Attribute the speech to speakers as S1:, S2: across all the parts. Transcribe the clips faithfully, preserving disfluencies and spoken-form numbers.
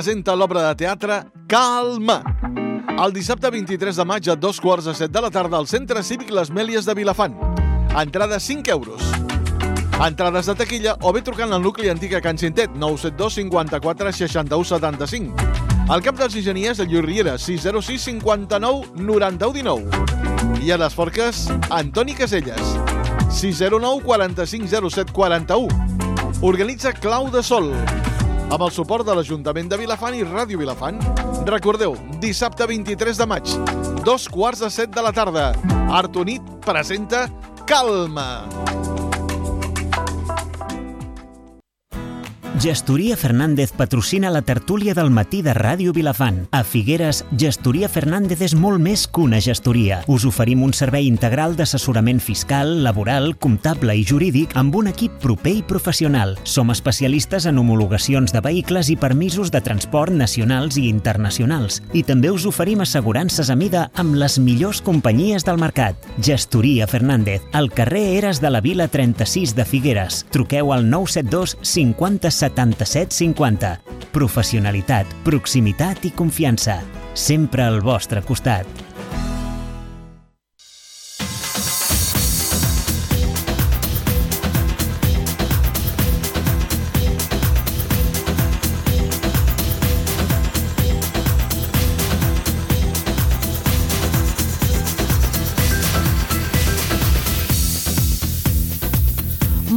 S1: presenta l'obra de teatre Calma. El dissabte vint-i-tres de maig a dos quarts de set de la tarda al Centre Cívic Les Mèlies de Vilafant. Entrada cinc euros. Entrades de taquilla o bé trucant al nucli antic a Can Cintet, nou set dos cinquanta-quatre seixanta-u setanta-cinc. Al Camp dels Enginyers, a Llorriera, sis zero sis cinquanta-nou noranta-u dinou. I a les Forques, Antoni Caselles, sis zero nou quaranta-cinc zero set quaranta-u. Organitza Clau de Sol, amb el suport de l'Ajuntament de Vilafant i Ràdio Vilafant. Recordeu, dissabte vint-i-tres de maig, dos quarts de set de la tarda, Artonit presenta Calma.
S2: Gestoria Fernández patrocina la tertúlia del matí de Ràdio Vilafant. A Figueres, Gestoria Fernández és molt més que una gestoria. Us oferim un servei integral d'assessorament fiscal, laboral, comptable i jurídic amb un equip proper i professional. Som especialistes en homologacions de vehicles i permisos de transport nacionals i internacionals. I també us oferim assegurances a mida amb les millors companyies del mercat. Gestoria Fernández, al carrer Eres de la Vila trenta-sis de Figueres. Truqueu al nou set dos cinquanta setanta-set cinquanta. Professionalitat, proximitat i confiança. Sempre al vostre costat.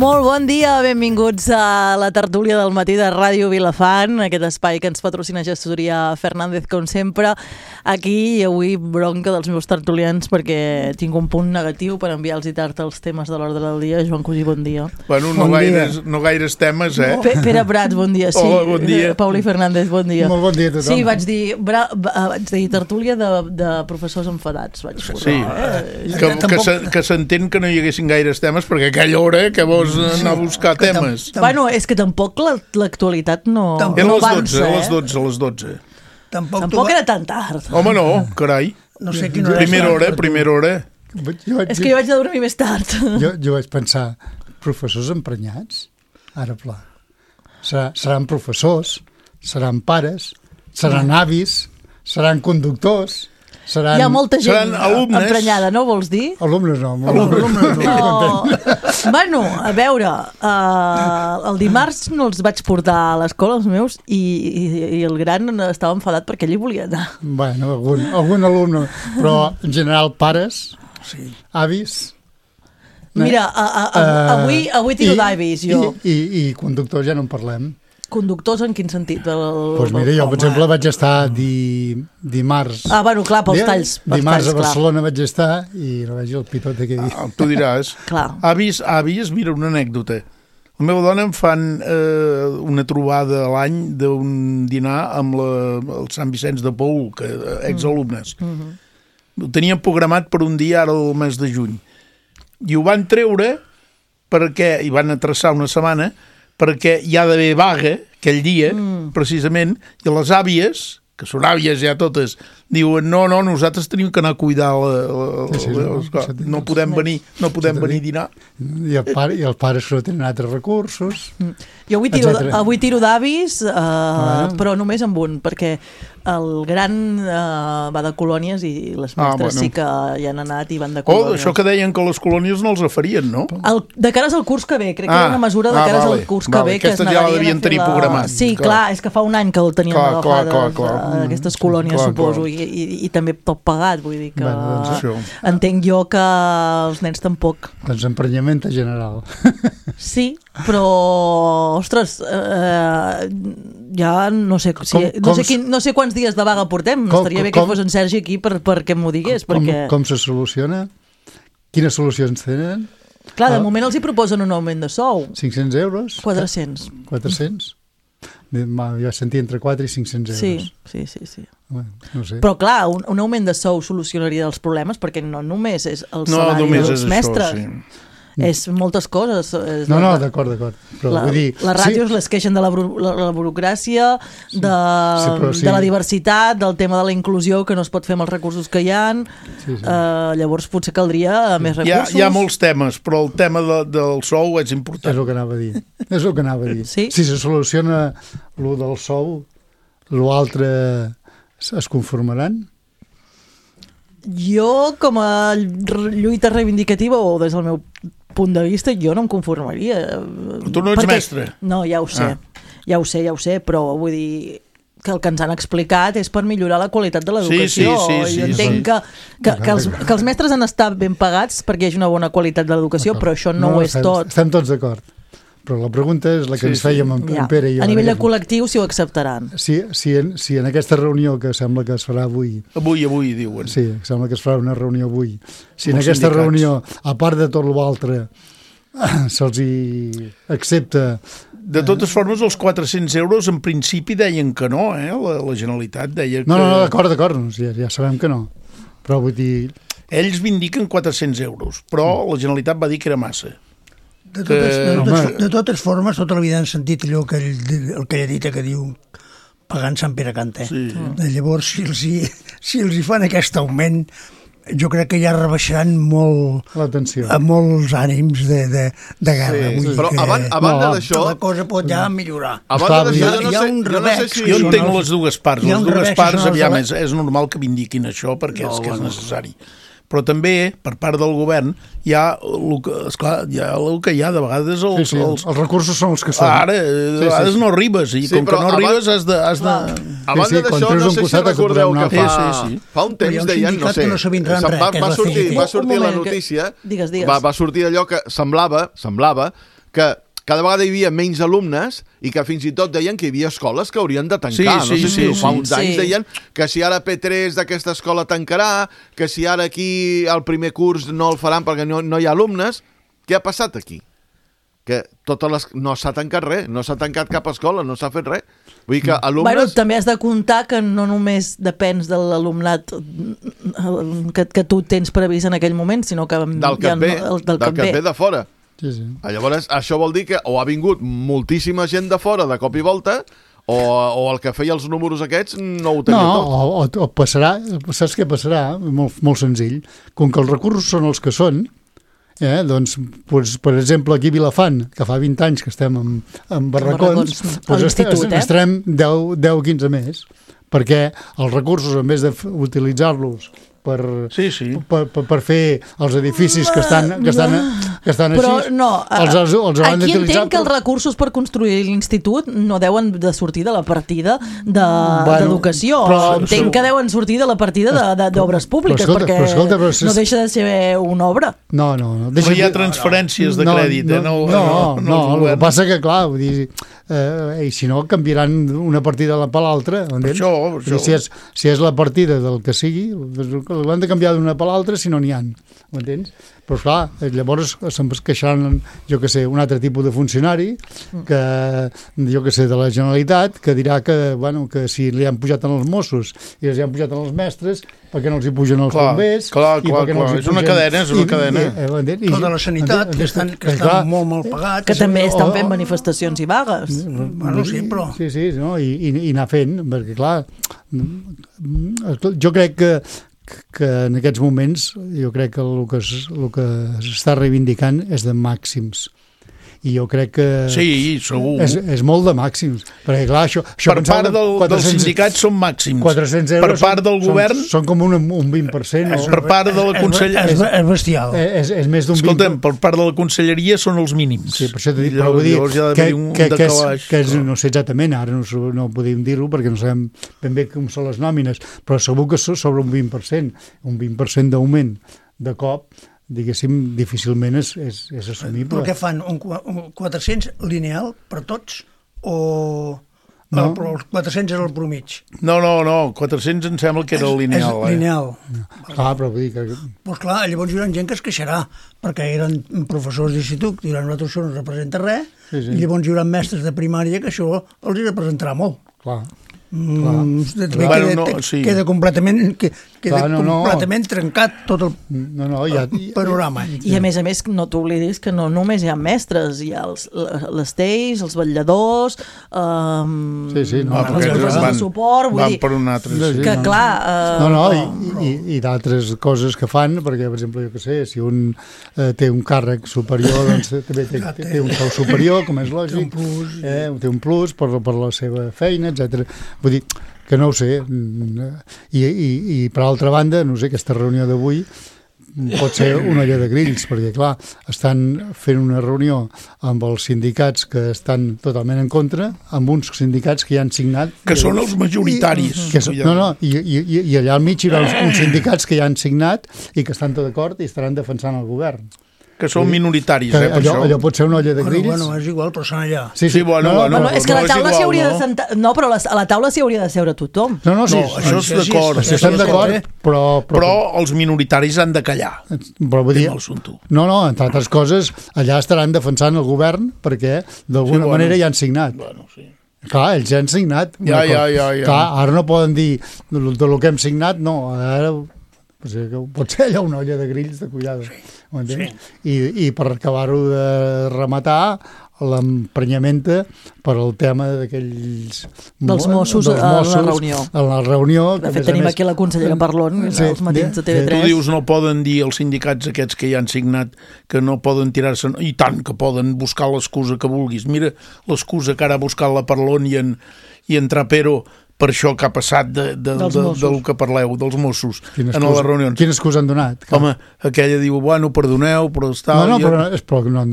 S3: Molt bon dia, benvinguts a la tertúlia del matí de Ràdio Vilafant, aquest espai que ens patrocina Gestoria Fernández, com sempre. Aquí i avui bronca dels meus tertulians perquè tinc un punt negatiu per enviar-los i tard els temes de l'ordre del dia. Joan Cosí, bon dia.
S4: Bueno, no, bon gaires, dia. no gaires temes, eh?
S3: P Pere Prats, bon dia. Sí.
S4: Hola, bon dia.
S3: Pauli Fernández, bon dia.
S5: Molt bon dia a tothom.
S3: Sí, vaig dir, bra, vaig dir tertúlia de, de professors enfadats. Vaig posar,
S4: sí,
S3: eh?
S4: que, que, que s'entén que no hi haguessin gaires temes perquè a aquella hora que vols anar a buscar temes.
S3: Bueno, és que tampoc l'actualitat no,
S4: no
S3: no
S4: avança,
S3: eh?
S4: A les dotze, a les dotze.
S3: Tampoc, tampoc era tan tard.
S4: Home, no, carai.
S5: No sé quina hora.
S4: Primera hora, primera hora.
S5: Jo,
S3: és que jo vaig a dormir més tard.
S5: Jo, jo vaig pensar, professors emprenyats? Ara, pla. Serà, seran professors, seran pares, seran avis, seran conductors, seran...
S3: Hi ha molta gent
S4: emprenyada,
S3: no vols dir?
S5: Alumnes no.
S4: Alumnes
S3: no. no. Bueno, a veure, uh, el dimarts no els vaig portar a l'escola, els meus, i, i, i el gran estava enfadat perquè ell hi volia anar.
S5: Bueno, algun, algun alumne, però en general pares, sí. Avis...
S3: Mira, a, a, a, avui, avui tiro d'avis, jo.
S5: I, i, I conductors ja no en parlem.
S3: Conductors en quin sentit? Doncs
S5: pues mira, jo, per exemple, vaig estar di, dimarts...
S3: Ah, bueno, clar, pels talls. Pels
S5: dimarts
S3: talls,
S5: a Barcelona clar. Vaig estar i no veig el pitote que diu.
S4: Ah, tu diràs. Avis, avis, mira, una anècdota. La meva dona em fan eh, una trobada a l'any d'un dinar amb la, el Sant Vicenç de Paül, que, exalumnes. Mm -hmm. Ho tenien programat per un dia ara el mes de juny. I ho van treure perquè, i van traçar una setmana, perquè hi ha d'haver vaga aquell dia, mm. precisament, i les àvies, que són àvies ja totes, diuen, no, no, nosaltres tenim que anar a cuidar la, la, sí, sí, la, la, no, no podem venir no podem venir a dinar.
S5: I, el pare, i els pares no tenen altres recursos.
S3: Mm. Jo avui tiro, avui tiro d'avis, uh, ah. però només amb un, perquè el gran uh, va de colònies i les mestres ah, bueno. sí que hi han anat i van de colònies.
S4: Oh, això que deien que les colònies no els afarien, no?
S3: El, de cares al curs que ve, crec ah. que era una mesura de
S4: ah,
S3: cares
S4: vale,
S3: al curs
S4: vale.
S3: que ve.
S4: Aquestes que ja la devien tenir la... programat.
S3: Sí, clar. clar, és que fa un any que el teníem
S4: clar,
S3: agafades,
S4: clar, clar, clar.
S3: Uh, aquestes colònies, clar, suposo, clar. I, i, i també tot pagat, vull dir que...
S5: Bueno, doncs
S3: entenc jo que els nens tampoc.
S5: Doncs emprenyament general.
S3: Sí, però, ostres, eh, ja no sé, si,
S5: com,
S3: no, sé quin, no sé quants dies de vaga portem. Com, Estaria bé com, que fos en Sergi aquí per, perquè m'ho digués.
S5: Com,
S3: perquè...
S5: com se soluciona? Quines solucions tenen?
S3: Clar, de ah. moment els hi proposen un augment de sou.
S5: cinc-cents euros?
S3: quatre-cents.
S5: quatre-cents? Jo sentia entre quatre i cinc-cents euros.
S3: Sí, sí, sí. sí.
S5: Bueno, no sé.
S3: Però clar, un, un augment de sou solucionaria els problemes perquè no només és el
S4: no,
S3: salari
S4: només
S3: dels
S4: és
S3: mestres.
S4: Això, sí.
S3: És moltes coses. És
S5: no,
S3: la,
S5: no, d'acord, d'acord.
S3: La,
S5: vull dir,
S3: les ràdios
S5: sí.
S3: les queixen de la, la, la burocràcia,
S5: sí.
S3: de,
S5: sí, sí.
S3: de la diversitat, del tema de la inclusió que no es pot fer amb els recursos que hi ha. Sí, sí. Uh, llavors potser caldria sí. més recursos.
S4: Hi ha, hi ha molts temes, però el tema de, del sou és important.
S5: És el que anava a dir. És el que anava a dir.
S3: Sí?
S5: Si se soluciona el del sou, l'altre es conformaran?
S3: Jo, com a lluita reivindicativa, o des del meu punt de vista, jo no em conformaria.
S4: Tu no ets
S3: perquè...
S4: mestre.
S3: No, ja ho sé, ah. ja ho sé, ja ho sé, però vull dir que el que ens han explicat és per millorar la qualitat de l'educació.
S4: Sí, sí, sí,
S3: jo
S4: sí,
S3: entenc
S4: sí.
S3: que, que, que, els, que els mestres han estat ben pagats perquè hi hagi una bona qualitat de l'educació, però això no, no ho és
S5: estem,
S3: tot.
S5: Estem tots d'acord. Però la pregunta és la que sí, ens fèiem en, ja. en Pere i jo.
S3: A nivell de col·lectiu, si ho acceptaran.
S5: Si, si, en, si en aquesta reunió que sembla que es farà avui...
S4: Avui, avui, diuen.
S5: Sí, sembla que es farà una reunió avui. Si en aquesta sindicats. reunió, a part de tot l'altre, se'ls hi accepta...
S4: De totes formes, els quatre-cents euros en principi deien que no, eh? La, la Generalitat deia que...
S5: No, no, no d'acord, d'acord, ja, ja sabem que no. Però vull dir...
S4: Ells vindiquen quatre-cents euros, però la Generalitat va dir que era massa.
S6: De totes, de, totes, de totes formes, tota la vida han sentit allò que el, el que ella dita que diu pagant Sant Pere Canta. Sí. Llavors, si els, hi, si els hi fan aquest augment, jo crec que ja rebaixaran molt
S5: l'atenció
S6: a molts ànims de, de, de guerra.
S1: Sí,
S6: Vull
S1: però
S6: que,
S1: abans, abans
S6: no,
S1: d'això...
S6: La cosa pot ja millorar.
S1: Abans d'això, jo no
S6: hi ha
S1: sé,
S6: un
S1: jo no sé si...
S4: Jo entenc les dues parts. Les dues parts, aviam, és, és normal que vindiquin això perquè no, és que és necessari. Però també, per part del govern, hi ha el que, esclar, hi ha el que hi ha, de vegades els...
S5: Sí, sí, els, els recursos són els que són.
S4: Ara, de sí, vegades sí. no arribes, i sí, com que no arribes has de... Has de...
S1: Abans sí, sí, d'això, no sé si recordeu que fa,
S4: sí, sí, sí.
S1: fa un temps deien, no sé,
S6: no res,
S1: va, va sortir, va sortir la notícia,
S3: que... digues, digues.
S1: Va, va sortir allò que semblava, semblava que cada vegada hi havia menys alumnes i que fins i tot deien que hi havia escoles que haurien de tancar.
S4: Sí,
S1: no
S4: sí,
S1: sé si
S4: sí,
S1: fa uns
S3: sí.
S1: anys deien que si ara P tres d'aquesta escola tancarà, que si ara aquí el primer curs no el faran perquè no, no hi ha alumnes. Què ha passat aquí? Que totes les... no s'ha tancat res, no s'ha tancat cap escola, no s'ha fet res. Vull dir que alumnes...
S3: Bueno, també has de comptar que no només depens de l'alumnat que, que tu tens previst en aquell moment, sinó que...
S1: Del que et ve, el, del, del que et ve de fora.
S5: Sí, sí.
S1: Llavors, això vol dir que o ha vingut moltíssima gent de fora de cop i volta, o, o el que feia els números aquests no ho tenia
S5: no,
S1: tot.
S5: O, o, o passarà, saps què passarà? Molt, molt senzill. Com que els recursos són els que són, eh, doncs, pues, per exemple, aquí a Vilafant, que fa vint anys que estem en, en barracons, pues est eh? estarem deu o quinze més, perquè els recursos, en vez d'utilitzar-los per,
S4: sí, sí.
S5: per, per, per fer els edificis que estan, que estan, que estan
S3: però
S5: així,
S3: no,
S5: els, els, els han
S3: aquí
S5: d'utilitzar.
S3: entenc que els recursos per construir l'institut no deuen de sortir de la partida d'educació. De,
S5: bueno,
S3: entenc que deuen sortir de la partida d'obres públiques, però, escolta, perquè però, escolta, però, no deixa de ser una obra.
S5: No, no. no
S4: deixa, però hi ha transferències de crèdit.
S5: No,
S4: eh? no,
S5: no, no,
S4: no, no,
S5: no el que passa que, clar, vull dir, eh, i si no, canviaran una partida per l'altra.
S4: Per això, per això.
S5: Si és, si és la partida del que sigui, l'han de canviar d'una per l'altra si no n'hi ha, m'entens? Però clar, llavors se'n queixaran, jo que sé, un altre tipus de funcionari que, jo que sé, de la Generalitat, que dirà que, bueno, que si li han pujat en els Mossos i els han pujat en els mestres, perquè no els hi pugen els bombers?
S4: Clar, clar, clar, és una cadena, és una cadena.
S6: Tota la sanitat, que estan, que estan molt mal pagats.
S3: Que també estan fent manifestacions i vagues.
S6: Bueno, sí, però...
S5: Sí, sí, no? I, i, i anar fent, perquè clar, jo crec que que en aquests moments jo crec que el que, es, el que s'està reivindicant és de màxims. I jo crec que
S4: sí, segur.
S5: És, és molt de màxims. Perquè, clar, això, això
S4: per part del, dels sindicats són màxims.
S5: quatre-cents euros
S4: per part del
S5: són,
S4: govern...
S5: Són, són com un, un vint per cent.
S4: És, per part de la conselleria...
S6: És, és bestial.
S5: És, és més d'un vint per cent.
S4: Escolta'm, per part de la conselleria són els mínims.
S5: Sí, per això t'he dit, però vull dir que, que, que, és, que és, no sé exactament, ara no, no podem dir-ho perquè no sabem ben bé com són les nòmines, però segur que sobre un vint per cent, un vint per cent d'augment de cop, diguéssim, difícilment és, és, és assumible.
S6: Però què fan? Un, un quatre-cents lineal per tots o...
S5: No.
S6: Però els quatre-cents era el promig.
S4: No, no, no, quatre-cents em sembla que era el lineal.
S6: És lineal.
S5: Eh? Clar, però vull dir que...
S6: Doncs clar, llavors hi haurà gent que es queixarà, perquè eren professors d'institut, diran, nosaltres això no representa res, sí, sí. I llavors hi haurà mestres de primària que això els hi representarà molt.
S5: Clar.
S6: Mm, queda, bueno, no, sí. queda completament que, queda Clar, no, completament no. trencat tot el,
S5: no, no, ja,
S6: el panorama.
S3: I a més a més no t'oblidis que no només hi ha mestres, hi ha els, les teis, els vetlladors, um,
S5: sí, sí, no,
S3: els professors de suport, vull
S4: van
S3: dir
S4: per un altre, sí.
S3: que clar uh,
S5: no, no, i, i, i d'altres coses que fan, perquè per exemple, jo que sé, si un eh, té un càrrec superior, doncs també té, té, té un sou superior, com és lògic, té un plus, eh, té un plus per, per la seva feina, etcètera. Vull dir, que no ho sé. I, i, i per altra banda, no sé, aquesta reunió d'avui pot ser una olla de grills, perquè, clar, estan fent una reunió amb els sindicats que estan totalment en contra, amb uns sindicats que ja han signat...
S4: Que són els majoritaris.
S5: I, que so, no, no, i, i, i allà al mig hi ha uns, uns sindicats que ja han signat i que estan tot d'acord i estaran defensant el govern.
S4: Que són minoritaris,
S5: que
S4: eh, per
S5: allò,
S4: això.
S5: Allò pot ser una olla de grills.
S6: Bueno, bueno, és igual, però són allà.
S5: Sí, sí,
S4: sí bueno,
S5: no,
S4: bueno,
S3: no, és que
S4: no
S3: la taula
S4: igual,
S3: s'hi hauria
S4: no?
S3: de sentar... No, però la, a la taula s'hi hauria de seure tothom.
S5: No, no, sí,
S4: no això és d'acord.
S5: Això estem d'acord, però, però...
S4: Però els minoritaris han de callar.
S5: Però vull dir... No, no, entre altres coses, allà estaran defensant el govern perquè d'alguna sí, bueno, manera ja han signat.
S4: Bueno, sí.
S5: Clar, ells ja han signat.
S4: Ja, ja, ja, ja.
S5: Clar, ara no poden dir de, de lo que hem signat, no, ara... Pot ser allò una olla de grills de cuidado, sí. Sí. I, i per acabar-ho de rematar l'emprenyamenta per al tema d'aquells...
S3: Dels Mossos, dels Mossos a la reunió.
S5: A la reunió.
S3: De fet, tenim més... aquí la consellera Parlon, sí, els matins de T V tres.
S4: Tu dius, no poden dir els sindicats aquests que ja han signat que no poden tirar-se... I tant que poden buscar l'excusa que vulguis. Mira l'excusa que ara ha buscat la Parlon i en, i en Trapero per això que ha passat de, de, de, de, del que parleu, dels Mossos,
S5: quina
S4: en
S5: excusa,
S4: les reunions.
S5: Quina excusa han donat?
S4: Home, aquella diu, bueno, perdoneu, però està...
S5: No, no,
S4: i,
S5: però, és, però no,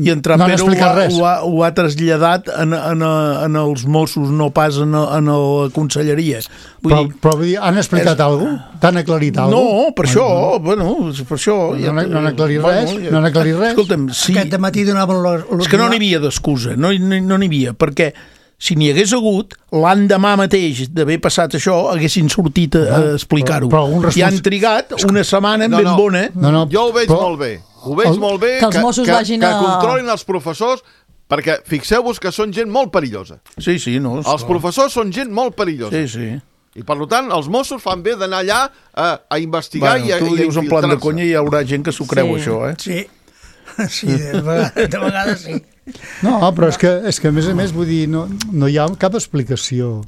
S4: i en Trapero
S5: no
S4: ho, ha, ho, ha, ho ha traslladat en, en, en els Mossos, no pas en, en la conselleria. Vull
S5: però,
S4: dir,
S5: però vull dir, han explicat és... alguna cosa? T'han aclarit alguna cosa?
S4: No, per això, bueno, per això...
S5: No,
S4: ja,
S5: no, no han aclarit
S4: bueno,
S5: res?
S4: Ja,
S5: no han aclarit res?
S4: Escolta'm, sí...
S6: Aquest matí donaven... Los, los
S4: és que no n'hi havia d'excusa, no n'hi no havia, perquè... Si n'hi hagués hagut, l'endemà mateix d'haver passat això, haguessin sortit a, a explicar-ho.
S5: Respons...
S4: I han trigat una setmana no, ben
S1: no.
S4: bona.
S1: No, no, jo ho veig però... molt bé. Ho veig el... molt bé
S3: que els Mossos
S1: que,
S3: vagin
S1: que,
S3: a...
S1: que controlin els professors, perquè fixeu-vos que són gent molt perillosa.
S4: Sí, sí, no.
S1: Els professors són gent molt perillosa.
S4: Sí, sí.
S1: I per tant, els Mossos fan bé d'anar allà a, a investigar
S4: bueno,
S1: i a,
S4: tu
S1: i a
S4: dius en plan de conya i hi haurà gent que s'ho creu,
S3: sí.
S4: això, eh?
S6: Sí. Sí, de vegades, de vegades sí.
S5: No, però és que, és que a més a més, vull dir, no, no hi ha cap explicació.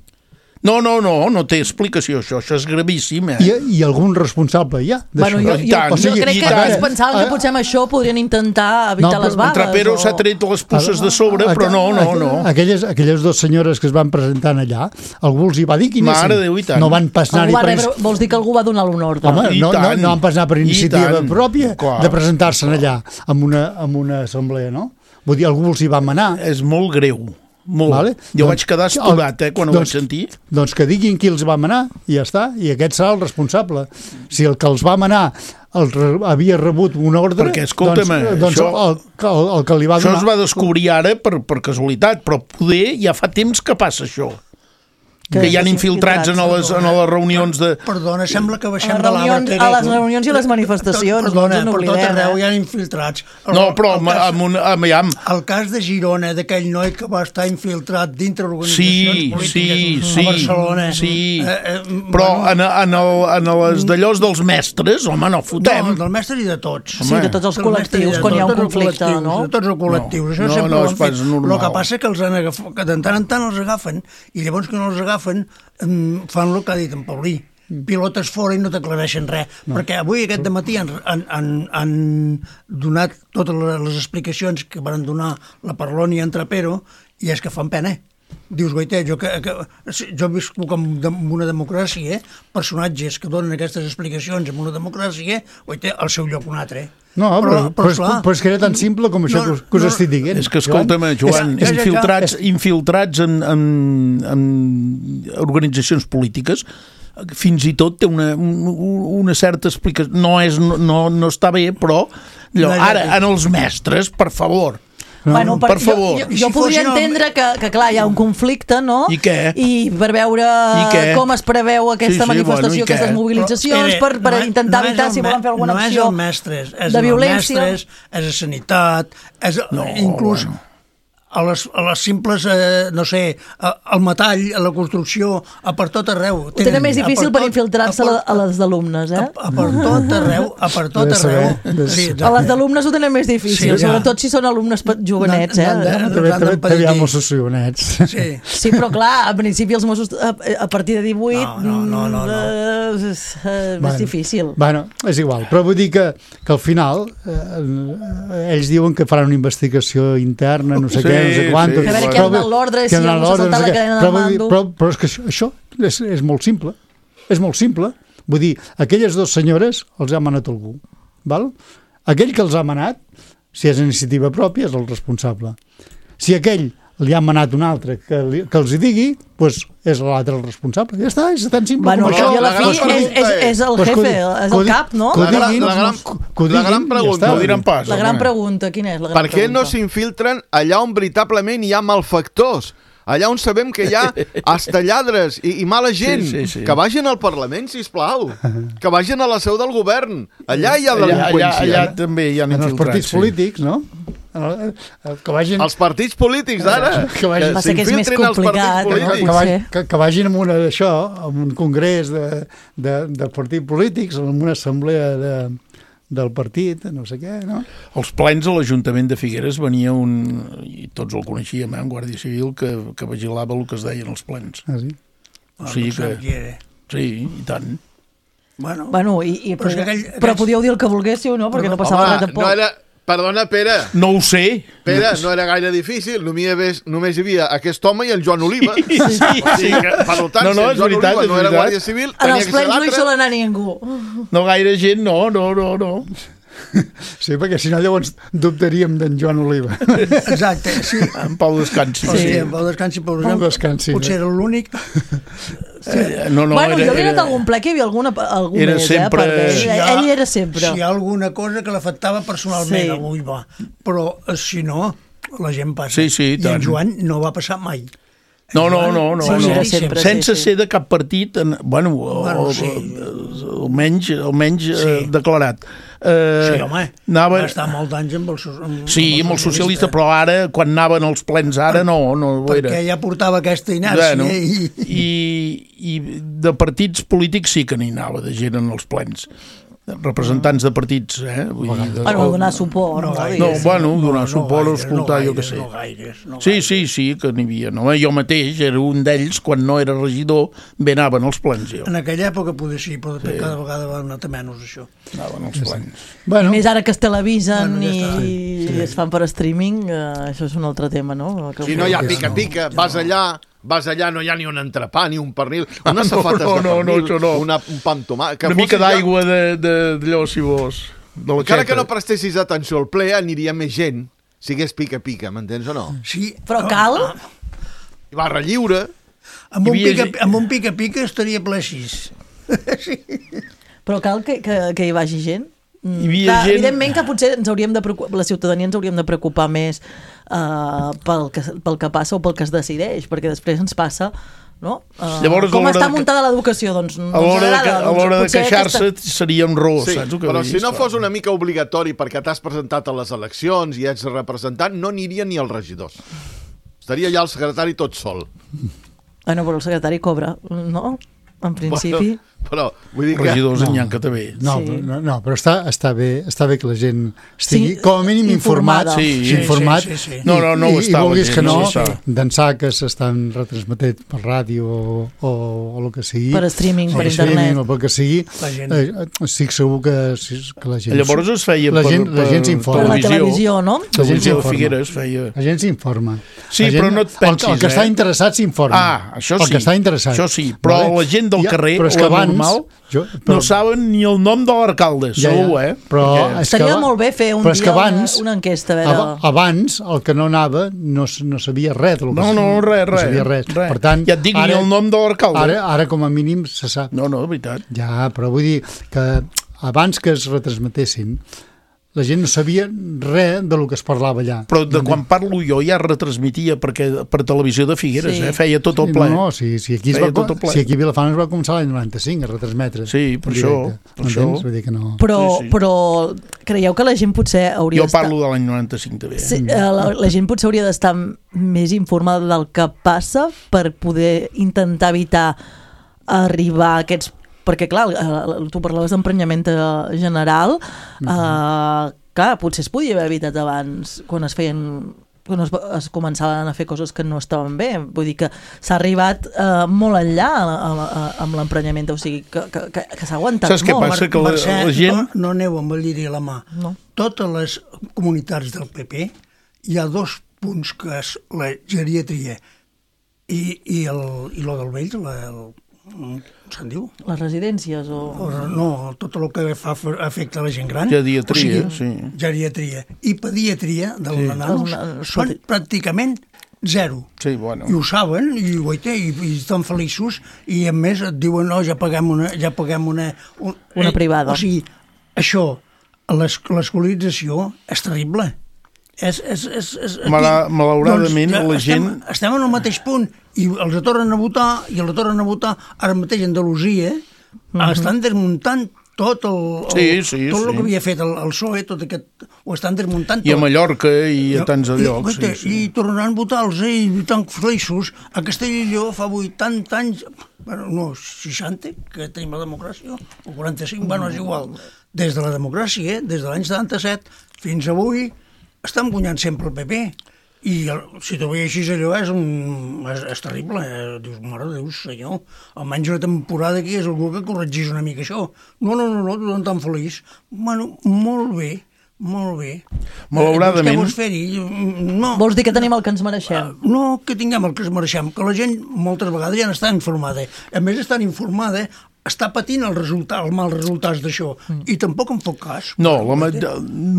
S4: No, no, no, no té explicació, això, això és gravíssim, eh?
S5: I, i algun responsable hi ha
S3: bueno, jo, jo,
S4: tant,
S3: o sigui, jo crec que ells pensaven que potser amb això podrien intentar evitar
S5: no,
S3: les vagues.
S4: Trapero o... s'ha tret les pusses de sobre, però no, no, no.
S5: Aquelles, aquelles dues senyores que es van presentar allà, algú els hi va dir qui anessin.
S4: Mare Déu, i tant.
S5: No van pas anar-hi
S3: va
S5: per...
S3: rebre, vols dir que algú va donar l'honor?
S5: Home, no, no, no van pas anar per iniciativa pròpia
S4: clar,
S5: de presentar-se allà amb una, amb una assemblea, no? Vull dir, algú els hi va manar.
S4: És molt greu. Molt.
S5: Vale?
S4: Jo
S5: doncs,
S4: vaig quedar estudat, eh, quan
S5: doncs,
S4: ho vaig sentir.
S5: Doncs que diguin qui els va manar, i ja està, i aquest serà el responsable. Si el que els va manar el re, havia rebut una ordre...
S4: Perquè, escolta'm,
S5: doncs, doncs
S4: això,
S5: el, el, el que li va
S4: això
S5: donar...
S4: es va descobrir ara per, per casualitat, però poder ja fa temps que passa això. Que, que hi ha infiltrats en les, en les reunions de...
S6: Perdona, sembla que baixem
S3: de l'arbre. A les reunions i les manifestacions.
S6: Perdona,
S3: no
S6: per tot arreu
S3: eh?
S6: hi ha infiltrats. El,
S4: no, però el, cas, amb un, amb, amb...
S6: el cas de Girona, d'aquell noi que va estar infiltrat dintre organitzacions
S4: sí,
S6: polítiques
S4: sí,
S6: a Barcelona.
S4: Sí,
S6: eh, eh,
S4: però
S6: bueno,
S4: en, en, el, en les d'allòs dels mestres, home, no fotem.
S6: No, del mestre i de tots.
S3: Sí, de tots els col·lectius, quan hi ha un conflicte, no?
S6: De tots els col·lectius.
S4: No,
S6: Això
S4: no,
S6: sempre
S4: no
S6: ho han fet.
S4: normal.
S6: El que passa que els han agafat, que de tant en tant els agafen, i llavors que no els agafen fan el que ha dit en Paulí, pilotes fora i no t'aclareixen res, no. Perquè avui aquest dematí han, han, han, han donat totes les explicacions que van donar la Parlon i en Trapero, i és que fan pena. Dius, goita, jo, que, que, jo visco en una democràcia, personatges que donen aquestes explicacions en una democràcia, goita, al seu lloc un altre.
S5: No, però, però, però, però, però és que era tan simple com això no, que, que us no, estic dient.
S4: És que, escolta'm, Joan, és, és, infiltrats, és, infiltrats en, en, en organitzacions polítiques, fins i tot té una, una certa explicació. No, és, no, no està bé, però allò, ara, en els mestres, per favor...
S3: No. Bueno, per,
S4: per favor.
S3: Jo, jo, jo podria entendre que, que, clar, hi ha un conflicte, no?
S4: I què?
S3: I per veure com es preveu aquesta sí, sí, manifestació, bueno, aquestes mobilitzacions, però, per, per no, intentar no evitar si volen fer alguna
S6: no
S3: acció
S6: és mestres, és
S3: de violència.
S6: Mestres, és a sanitat, és
S4: no,
S6: inclús...
S4: Bueno.
S6: A les, a les simples, eh, no sé, al metall, a la construcció, a per tot arreu.
S3: Ho tenen més difícil per infiltrar-se a, a les d'alumnes, eh?
S6: A, a per tot arreu, a per tot arreu.
S3: Sí, a les d'alumnes ho tenen més difícil, sí, sobretot si són alumnes jovenets, eh?
S5: També hi ha Mossos jovenets.
S6: Sí.
S3: Sí, però clar, a principi els Mossos, a, a partir de divuit,
S6: no, no, no, no, no.
S3: Eh, és eh, més difícil.
S5: Bueno, és igual, però vull dir que, que al final eh, ells diuen que faran una investigació interna, no sé què, no sé quant.
S3: A veure, què ha donat l'ordre, si algú s'ha saltat la cadena de mando.
S5: Però, però és que això, això és, és molt simple. És molt simple. Vull dir, aquelles dues senyores els ha manat algú. Val? Aquell que els ha manat, si és iniciativa pròpia, és el responsable. Si aquell li ha manat un altre que, li, que els hi digui, doncs és l'altre el responsable. Ja està, és tan simple
S3: bueno,
S5: com això.
S3: I a la fi és, és, és el jefe, és el cap, no?
S1: La, la, la, gran, la gran pregunta,
S4: no diran pas,
S3: la gran pregunta, quina és la gran
S1: per què
S3: pregunta?
S1: no s'infiltren allà on veritablement hi ha malfactors? Allà on sabem que hi ha hasta lladres i, i mala gent,
S4: sí, sí, sí.
S1: que vagin al Parlament, sisplau, que vagin a la seu del govern. Allà hi ha delinqüència.
S4: Allà, allà, allà també hi ha
S5: en
S4: infiltrats.
S5: Els partits
S4: sí.
S5: polítics, no? Que vagin...
S1: Els partits polítics d'ara,
S5: que, vagin...
S3: que s'infiltrin als partits polítics.
S5: Que, vagin, que, que vagin en una d'això, en un congrés de, de, de partits polítics, en una assemblea de, del partit, no sé què, no?
S4: Els plens a l'Ajuntament de Figueres venia un, i tots el coneixíem, eh, un guàrdia civil que, que vigilava el que es deien els plens.
S5: Ah, sí?
S4: O sigui que... Sí, i tant.
S6: Bueno,
S3: bueno i, i, però,
S6: però, aquell,
S3: però podíeu dir el que volguéssiu, no? Perquè no passava
S1: Home,
S3: res tampoc.
S1: no era... Perdona, Pere.
S4: No ho sé.
S1: Pere, no era gaire difícil. Només, només hi havia aquest home i el Joan Oliva.
S4: Sí, sí, sí.
S1: O sigui que, per tant,
S4: no, no,
S1: si el Joan
S4: veritat,
S1: Oliva no era
S4: veritat.
S1: guàrdia civil,
S3: En
S1: tenia
S3: els
S1: que ser
S3: plens no hi
S1: l'altre.
S3: sol anar ningú.
S4: No gaire gent, no, no, no, no.
S5: Sí, perquè si no llavors dubtaríem d'en Joan Oliva.
S6: Exacte, sí.
S4: En Pau Descansi.
S6: Sí, en Pau Descansi, per exemple,
S5: Descansi,
S6: potser era l'únic.
S4: Sí. No, no,
S3: bueno,
S4: era,
S3: jo havia anat
S4: era...
S3: a algun ple que hi havia alguna, algú
S4: Era
S3: més,
S4: sempre-
S3: eh? Per
S6: Si
S3: ell,
S6: hi ha-
S3: ell era sempre.
S6: Si hi ha alguna cosa que l'afectava personalment,
S3: Sí.
S6: avui va. Però eh, si no, la gent passa.
S4: Sí, sí, i
S6: I en
S4: tant.
S6: Joan no va passar mai.
S4: No, no, no, no,
S3: Sí,
S4: no.
S3: era sempre,
S4: sense
S3: sí, sí.
S4: ser de cap partit, en, bueno,
S6: Bueno,
S4: o,
S6: sí.
S4: almenys, almenys
S6: Sí.
S4: eh, declarat. Eh,
S6: Sí, home,
S4: anava...
S6: va estar molts anys amb el, so- amb,
S4: Sí, amb el socialista, però ara, quan anaven als plens, ara no, no ho era.
S6: perquè ja portava aquesta inèrcia.
S4: Bueno,
S6: i...
S4: i, i de partits polítics sí que n'hi anava, de gent en els plens. Representants de partits, eh? Vull dir, de,
S3: Bueno, donar suport.
S6: No
S3: No,
S6: gaire.
S4: No, bueno, donar
S6: no
S4: suport,
S6: gaires,
S4: escoltar,
S6: no
S4: jo què
S6: gaires,
S4: sé.
S6: No gaires, no
S4: Sí,
S6: gaires.
S4: sí, sí, que n'hi havia. No? Jo mateix era un d'ells, quan no era regidor, bé anaven als plens, jo.
S6: En aquella època poder sí, però sí. Cada vegada va anar menys, això.
S4: Anaven als plens.
S5: Bueno,
S3: Més ara que es televisen
S6: Bueno, ja
S3: i,
S6: està.
S3: i es fan per streaming, eh, això és un altre tema, no? Que
S1: Si no hi ha pica-pica, vas allà, vas allà, no hi ha ni un entrepà, ni un pernil, unes safates
S4: no, no,
S1: de pernil,
S4: no, això no.
S1: una, un pa amb tomàquet... que
S4: Una
S1: fos
S4: mica
S1: allà-
S4: d'aigua de, de, d'allò, si vols. De la
S1: Encara
S4: xeta.
S1: que no prestessis atenció al ple, aniria més gent, si hagués pica-pica, m'entens o no?
S6: Sí,
S3: Però cal?
S1: I barra lliure...
S6: Amb un
S4: Hi havia
S6: pica, amb un pica-pica estaria ple així. Sí.
S3: Però cal que, que, que hi vagi gent? Mm,
S4: Hi havia
S3: clar,
S4: gent-
S3: Evidentment que potser ens hauríem de preocupar, la ciutadania ens hauríem de preocupar més uh, pel, que, pel que passa o pel que es decideix, perquè després ens passa, no? Uh,
S4: Llavors, a
S3: com
S4: l'hora
S3: està
S4: de que-
S3: muntada l'educació? Doncs no
S4: A l'hora
S3: ens
S4: de,
S3: agrada.
S4: que- a
S3: Doncs
S4: l'hora de
S3: potser
S4: queixar-se
S3: aquesta-
S4: seria un ros,
S1: Sí,
S4: saps el que
S1: però
S4: vull
S1: si
S4: dir?
S1: no
S4: Esclar.
S1: fos una mica obligatori perquè t'has presentat a les eleccions i ets representant, no aniria ni els regidors. Estaria ja el secretari tot sol.
S3: Bueno, però el secretari cobra, no? En principi...
S1: Bueno, però, vull dir que...
S4: Regidors
S5: No.
S4: n'hi ha que també.
S5: no,
S3: Sí.
S5: no, no, però està, està, bé, està bé que la gent estigui,
S3: Sí,
S5: com a mínim, informat.
S3: informada.
S4: Sí,
S6: sí,
S5: informat.
S6: sí, sí, sí.
S5: I,
S4: No, no, no ho
S5: i,
S4: està,
S5: I vulguis
S4: la
S5: que
S4: gent
S5: no,
S4: no ho està.
S5: d'ençà que s'estan retransmetent per ràdio o, o, o el que sigui.
S3: Per streaming, per
S5: streaming,
S3: internet.
S5: o pel que sigui.
S6: La gent.
S5: Eh, estic segur que, que la gent...
S4: Llavors es feia
S5: la
S4: per,
S5: gent, la gent
S3: Per
S5: s'informa.
S3: la televisió, no?
S5: La gent
S4: Televisió de
S5: s'informa.
S4: Figueres feia...
S5: La gent s'informa.
S4: Sí,
S5: La gent,
S4: però no et pensis,
S5: el, el que
S4: eh?
S5: està interessat s'informa.
S4: Ah, això
S5: El
S4: sí.
S5: que està interessat.
S4: Això sí, però la gent del carrer,
S5: però és que
S4: la
S5: abans,
S4: normal,
S5: jo,
S4: No saben ni el nom de l'alcalde,
S5: Ja, ja.
S4: segur, eh?
S5: Però
S4: Perquè-
S5: és que
S3: Seria
S5: aba-
S3: molt bé fer un
S5: però és que
S3: dia una-
S5: abans,
S3: una enquesta, a veure...
S5: aba- Abans, el que no anava no, s- no sabia res del que
S4: No, no, res,
S5: no
S4: res.
S5: sabia res.
S4: res.
S5: Per tant,
S4: ja et dic, ni el nom de l'alcalde.
S5: Ara, ara, com a mínim, se sap.
S4: No, no, de veritat.
S5: Ja, però vull dir que abans que es retransmetessin, la gent no sabia res del que es parlava allà.
S4: Però de quan parlo jo ja retransmitia perquè per televisió de Figueres,
S3: Sí.
S4: eh? Feia tot el
S5: Sí,
S4: ple.
S5: No, no, si, si, aquí es
S4: Feia
S5: va,
S4: tot el ple.
S5: si aquí a Vilafant es va començar l'any noranta-cinc a retransmetre.
S4: Sí, per
S5: en
S4: això,
S5: directe.
S4: per
S5: M'entens?
S4: això.
S5: Vull dir que no...
S3: Però,
S4: Sí, sí.
S3: però creieu que la gent potser hauria
S4: Jo
S3: d'estar...
S4: parlo de l'any noranta-cinc també. Eh?
S3: Sí, eh, la, la gent potser hauria d'estar més informada del que passa per poder intentar evitar arribar a aquests... Perquè, clar, eh, tu parlaves d'emprenyament eh, general, eh, clar, potser es podia haver evitat abans, quan es feien quan es, es començaven a fer coses que no estaven bé. Vull dir que s'ha arribat eh, molt enllà a, a, amb l'emprenyament, o sigui, que, que, que, que s'ha aguantat
S4: Saps què
S3: molt.
S4: passa? Que la,
S6: Mercè,
S4: la gent...
S6: No, no aneu amb el lliri a la mà.
S3: No.
S6: Totes les comunitats del P P hi ha dos punts, que és la geriatria i, i, el, i lo del vell, la, el, com se'n diu?
S3: Les residències o...
S6: o no, tot el que fa afecta a la gent gran.
S4: Geriatria, o sigui, sí.
S6: Geriatria i pediatria dels sí. nanos
S3: Els,
S6: són
S3: els...
S6: pràcticament zero.
S4: Sí, bueno.
S6: I ho saben, i, guaita, i, i estan feliços, i a més et diuen, no, ja paguem una... Ja paguem una, un,
S3: una privada.
S6: O sigui, això, l'escolarització és terrible. És, és, és, és,
S4: Mala, malauradament,
S6: doncs,
S4: la gent...
S6: Estem, estem en el mateix punt, i els tornen a votar, i els tornen a votar, ara mateix a Andalusia, uh-huh. estan desmuntant tot el, el,
S4: sí, sí,
S6: tot
S4: sí.
S6: el que havia fet el, el P S O E, tot aquest, ho estan desmuntant tot.
S4: I a Mallorca i a tants de llocs.
S6: I,
S4: sí, sí.
S6: i tornaran a votar-los, eh, i tan feliços. A Castella i Lleó fa vuitanta anys, bueno, no, seixanta, que tenim la democràcia, o quaranta-cinc, bueno, és igual. Des de la democràcia, des de l'any setanta-set fins avui, estan guanyant sempre el P P. I el, si t'ho veus així, allò és, un, és, és terrible. Eh? Dius, mare de Déu, senyor, almenys una temporada aquí és algú que corregís una mica això. No, no, no, no, tothom tan feliç. Bueno, molt bé, molt bé.
S4: Malauradament...
S6: Eh, vols fer-hi? No.
S3: Vols dir que tenim el que ens mereixem?
S6: Uh, no, que tinguem el que ens mereixem, que la gent moltes vegades ja n'està informada. A més, estan informada, està patint el resultat, els mals resultats d'això, mm. i tampoc en fot cas.
S4: No, la,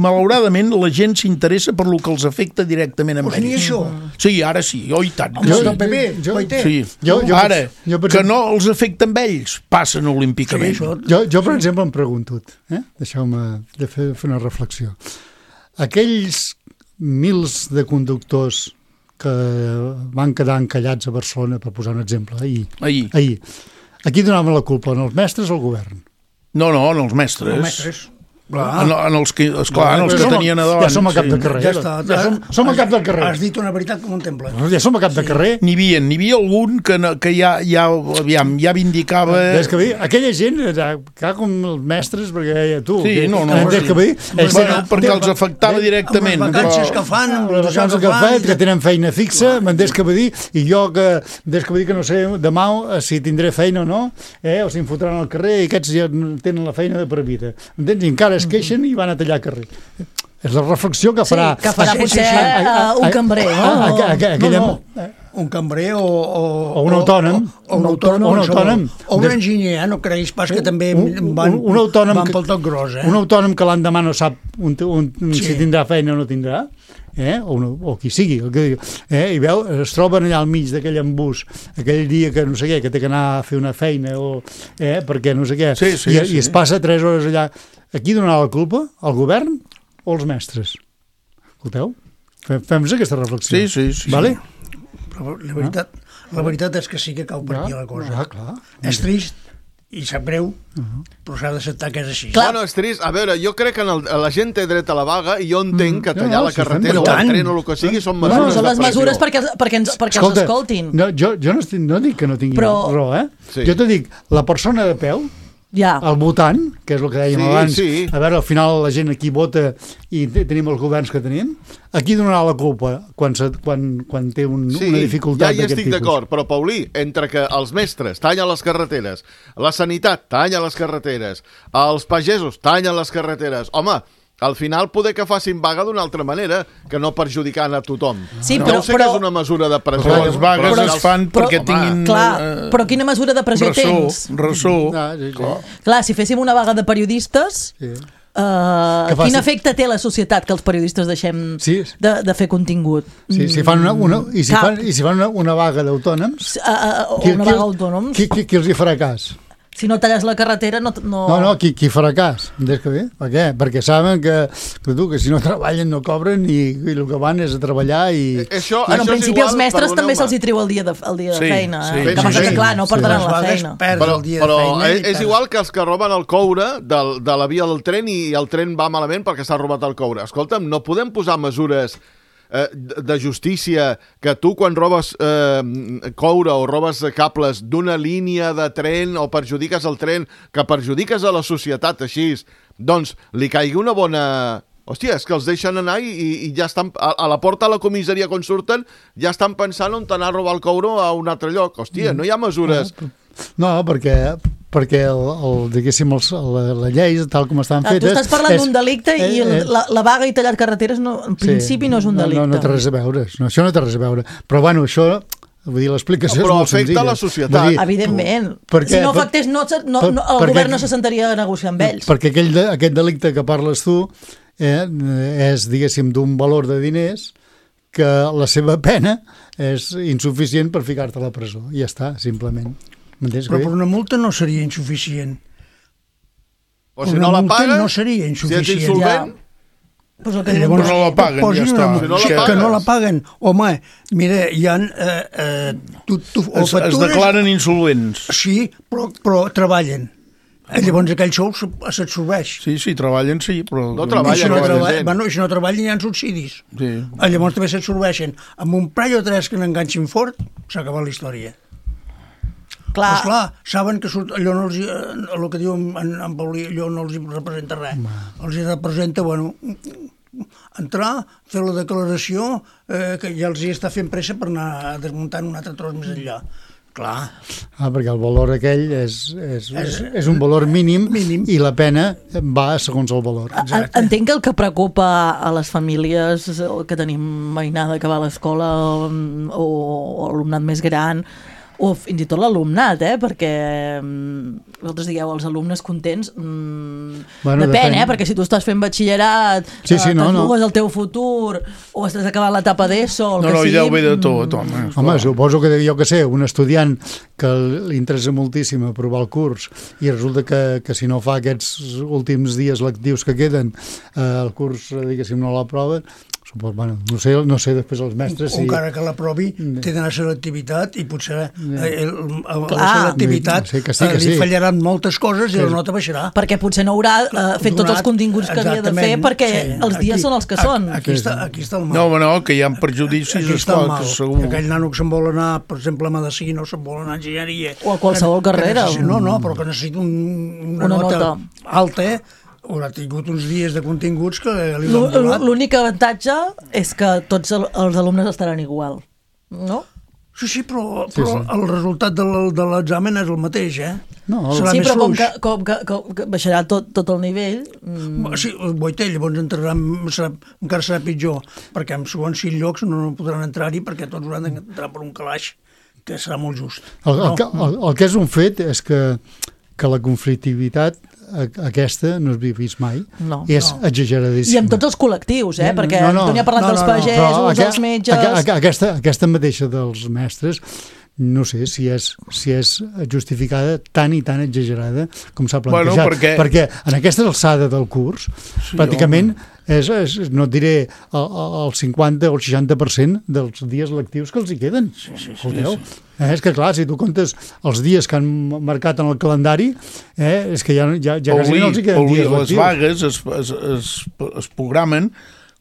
S4: malauradament la gent s'interessa per lo que els afecta directament amb
S6: ells. Pues ni això.
S4: Sí, ara sí, oh, i tant.
S6: Jo,
S4: sí.
S6: P P, jo,
S4: sí.
S5: jo, jo,
S4: ara,
S5: jo,
S4: que no els afecta amb ells, passen olímpicament. Sí,
S5: jo, jo, per exemple, em pregunto, eh? deixeu-me de fer, fer una reflexió. Aquells mils de conductors que van quedar encallats a Barcelona, per posar un exemple, ahir,
S4: ahir.
S5: ahir a qui donaven la culpa? En els mestres o al govern?
S4: No, no, en els mestres.
S6: Els mestres.
S4: Clar. En, en els que, esclar, en els que
S5: som,
S4: tenien a davant.
S5: Ja som a cap de carrer.
S6: Ja està.
S5: Ja som, som a cap del carrer.
S6: Has dit una veritat com un temple.
S5: Ja som a cap de carrer.
S4: N'hi havia, n'hi havia algun que, no, que ja, ja, aviam, ja vindicava...
S5: Des que dir, aquella gent, que com els mestres, perquè ja tu...
S4: Sí,
S5: que,
S4: no, no.
S5: Des que dir,
S4: bueno, bueno, perquè els afectava directament.
S6: Amb les vacances que fan, amb
S5: les vacances que fan, que tenen feina fixa, m'entens que vull dir, i jo que, des que vull dir que no sé demà si tindré feina o no, eh, o si em fotran al carrer, i aquests ja tenen la feina de per vida. M'entens? I encara es queixen i van a tallar carrer. És la reflexió que farà...
S3: Sí, que farà
S6: sí,
S3: potser
S6: sí, sí.
S3: Uh, un cambrer, no?
S5: A, a, a, a, aquella...
S6: no, no. Un cambrer o... O,
S5: o un autònom.
S6: O, o un autònom.
S5: O un, autònom.
S6: O un enginyer, no creguis pas que també
S5: un,
S6: van,
S5: un autònom
S6: van
S5: que,
S6: pel tot gros, eh?
S5: Un autònom que l'endemà no sap un, un, un,
S6: sí.
S5: si tindrà feina o no tindrà, eh? o, no, o qui sigui, el que, eh? i veu, es troben allà al mig d'aquell embús, aquell dia que no sé què, que té que anar a fer una feina, o, eh? perquè no sé què,
S4: sí, sí,
S5: i,
S4: sí.
S5: i es passa tres hores allà. A qui donarà la culpa? Al govern o als mestres? Escolteu? Fem-nos aquesta reflexió.
S4: Sí, sí, sí.
S5: Vale?
S6: Però la veritat, la veritat és que sí que cau per aquí la cosa.
S5: Ah, clar.
S6: És trist i sap greu, uh-huh. però s'ha d'acceptar que és així.
S1: Clar. Bueno, és trist. A veure, jo crec que en el, la gent té dret a la vaga i jo entenc que tallar
S5: no, no,
S1: la carretera
S5: si
S1: o el tren o el que sigui són mesures
S3: no, són les
S1: de pressió.
S3: mesures perquè, perquè, ens, perquè
S5: Escolta,
S3: els escoltin.
S5: No, jo, jo no, estic, no dic que no tingui
S3: Però...
S5: raó, eh?
S1: Sí.
S5: Jo te dic, la persona de peu,
S3: ja.
S5: el votant, que és el que dèiem
S1: Sí,
S5: abans,
S1: sí.
S5: a veure, al final la gent aquí vota i tenim els governs que tenim, a qui donarà la culpa quan, se, quan, quan té un,
S1: Sí,
S5: una dificultat
S1: ja hi
S5: d'aquest
S1: estic
S5: tipus?
S1: d'acord, però Paulí, entre que els mestres tallen les carreteres, la sanitat talla les carreteres, els pagesos tallen les carreteres, home, al final poder que facin vaga d'una altra manera, que no perjudicant a tothom.
S3: Sí,
S1: no
S3: però,
S1: sé
S3: però,
S1: que és una mesura de pressió.
S4: Però les vagues
S1: però,
S4: es fan
S3: però,
S4: perquè tinguin...
S3: Clar,
S4: eh,
S3: però quina mesura de pressió
S4: ressò,
S3: tens?
S4: Ressò,
S5: Ah, sí, sí.
S3: Clar, si féssim una vaga de periodistes...
S5: Sí.
S3: Uh,
S5: Que faci-
S3: quin efecte té a la societat que els periodistes deixem
S5: Sí.
S3: de, de fer contingut?
S5: Sí, si fan una, una, i si
S3: Cap.
S5: fan, i si fan una, una vaga d'autònoms,
S3: Uh, uh, o
S5: qui,
S3: una
S5: qui,
S3: vaga d'autònoms?
S5: qui, qui, qui els hi farà cas?
S3: Si no talles la carretera, no... No,
S5: No, no, qui, qui farà cas? Entens que bé? Per què? Perquè saben que, que, tu, que si no treballen no cobren i, i el que van és a treballar i...
S1: Això,
S3: Bueno, en
S1: això és
S3: principi
S1: igual,
S3: els mestres també
S1: perdoneu-me.
S3: se'ls hi treu el dia de, el dia
S4: Sí,
S3: de feina.
S4: sí,
S3: Eh?
S4: sí,
S3: que passa
S4: sí,
S3: que, clar, no
S5: sí.
S3: perdran
S6: Les
S3: la
S6: vagues
S3: feina.
S6: perds
S1: Però,
S6: el dia
S1: però
S6: de feina.
S1: és,
S6: i
S1: és
S6: perds-
S1: igual que els que roben el coure del, de la via del tren i el tren va malament perquè s'ha robat el coure. Escolta'm, no podem posar mesures eh, de justícia que tu quan robes eh, coure o robes cables d'una línia de tren o perjudiques el tren, que perjudiques a la societat així, doncs li caigui una bona... Hòstia, és que els deixen anar i, i, i ja estan... A, a la porta de la comissaria quan surten ja estan pensant on anar a robar el coure a un altre lloc. Hòstia, no hi ha mesures...
S5: No, perquè perquè el, el, diguéssim, els, la, la llei, tal com estan
S3: ah,
S5: fetes...
S3: Tu estàs parlant d'un delicte
S5: eh,
S3: i el,
S5: eh,
S3: la, la vaga i tallar carreteres no, en principi sí, no és un delicte.
S5: No, no, no té res a veure, no, això no té res a veure. Però bueno, això... Vull dir, l'explicació
S1: no,
S5: és molt senzilla.
S1: Però afecta la societat.
S3: Dir, evidentment.
S5: Perquè,
S3: si no afectés, no, no, no, el perquè, govern no se sentaria a negociar amb ells.
S5: Perquè aquell de, aquest delicte que parles tu eh, és, diguéssim, d'un valor de diners que la seva pena és insuficient per ficar-te a la presó. I ja està, simplement.
S6: Però per una multa no seria insuficient.
S1: O si no la paga,
S6: no seria insuficient.
S1: Si ets insolvent...
S3: Ja. Pues que
S4: llavors no la paguen, ja està.
S1: Si no la
S6: que,
S1: pagues.
S6: que no la paguen. Home, mira, hi ha... Eh, eh, tu, tu,
S4: es, factures, es declaren insolvents.
S6: Sí, però, però treballen. Llavors aquell sou s'absorbeix.
S4: Sí, sí, treballen, sí, però...
S1: No treballen,
S6: si no,
S1: no
S6: treball, bueno, si no treballen hi ha subsidis.
S4: Sí.
S6: Llavors també s'absorbeixen. Amb un parell o tres que n'enganxin fort, s'ha acabat la història.
S3: Clar.
S6: Pues clar, saben que surt, allò no els, el que diu en, en Paulí, allò no els representa res. Ma. Els representa, bueno, entrar, fer la declaració, eh, que ja els hi està fent pressa per anar desmuntant un altre tros més enllà. Clar.
S5: Ah, perquè el valor aquell és, és, és, és un valor mínim, mínim i la pena va segons el valor.
S3: Exacte. Entenc que el que preocupa a les famílies que tenim mainada que va a l'escola o, o alumnat més gran o fins i tot l'alumnat, eh? Perquè vosaltres digueu, els alumnes contents, mmm, bueno, depèn, depèn, eh? Perquè si tu estàs fent batxillerat,
S5: sí, sí,
S3: eh,
S5: no,
S3: t'esbugues
S5: no.
S3: el teu futur, o estàs acabant l'etapa d'ESO, el
S4: no,
S3: que
S4: no,
S3: sigui...
S4: No, no, ve de tot, home.
S5: Home, suposo que jo que sé, un estudiant que li interessa moltíssim aprovar el curs i resulta que, que si no fa aquests últims dies lectius que queden, eh, el curs, diguéssim, no l'aprova, bueno, no sé, no sé després els mestres
S6: si... encara que l'aprovi té d'anar a selectivitat i potser eh, el, el, la selectivitat
S5: sí, sí,
S6: li
S5: sí.
S6: fallaran moltes coses i sí. La nota baixarà
S3: perquè potser no haurà eh, fet tots els continguts que havia de fer perquè sí. Els dies aquí, són els que són
S6: aquí, aquí, està, aquí està el mal
S4: no, no, que hi ha perjudicis esclar, que segur
S6: que aquell nano que se'n vol anar per exemple a Medicina o se'n vol anar a enginyeria
S3: o a qualsevol que, carrera
S6: que no, no, però que necessita un, una, una nota, nota alta haurà tingut uns dies de continguts que li l'han volat.
S3: L'únic avantatge és que tots els alumnes estaran igual, no?
S6: Sí, sí, però, però sí, sí. El resultat de l'examen és el mateix, eh?
S5: No, el...
S3: Sí, però com que, com, que, com que baixarà tot, tot el nivell...
S6: Mm... Sí, Boiter, llavors entrarà, serà, encara serà pitjor, perquè en segons sis llocs no podran entrar-hi perquè tots hauran d'entrar per un calaix, que serà molt just.
S5: El, el, no? el, el que és un fet és que, que la conflictivitat aquesta no has vist mai,
S3: no,
S5: és no. Exageradíssim.
S3: I amb tots els col·lectius, eh? Perquè
S5: no, no,
S3: Antoni ha parlat no, no, dels pagesos, no, no. dels metges...
S5: A, a, aquesta, aquesta mateixa dels mestres, no sé si és, si és justificada tan i tan exagerada com s'ha plantejat.
S4: Bueno, perquè...
S5: perquè en aquesta alçada del curs, sí, pràcticament, és, és, no et diré el, el cinquanta o el seixanta per cent dels dies lectius que els hi queden.
S6: Sí, sí, sí, sí.
S5: Eh, és que clar, si tu comptes els dies que han marcat en el calendari, eh, és que ja, ja, ja quasi no els hi queden dies lectius.
S4: Les vagues es, es, es, es programen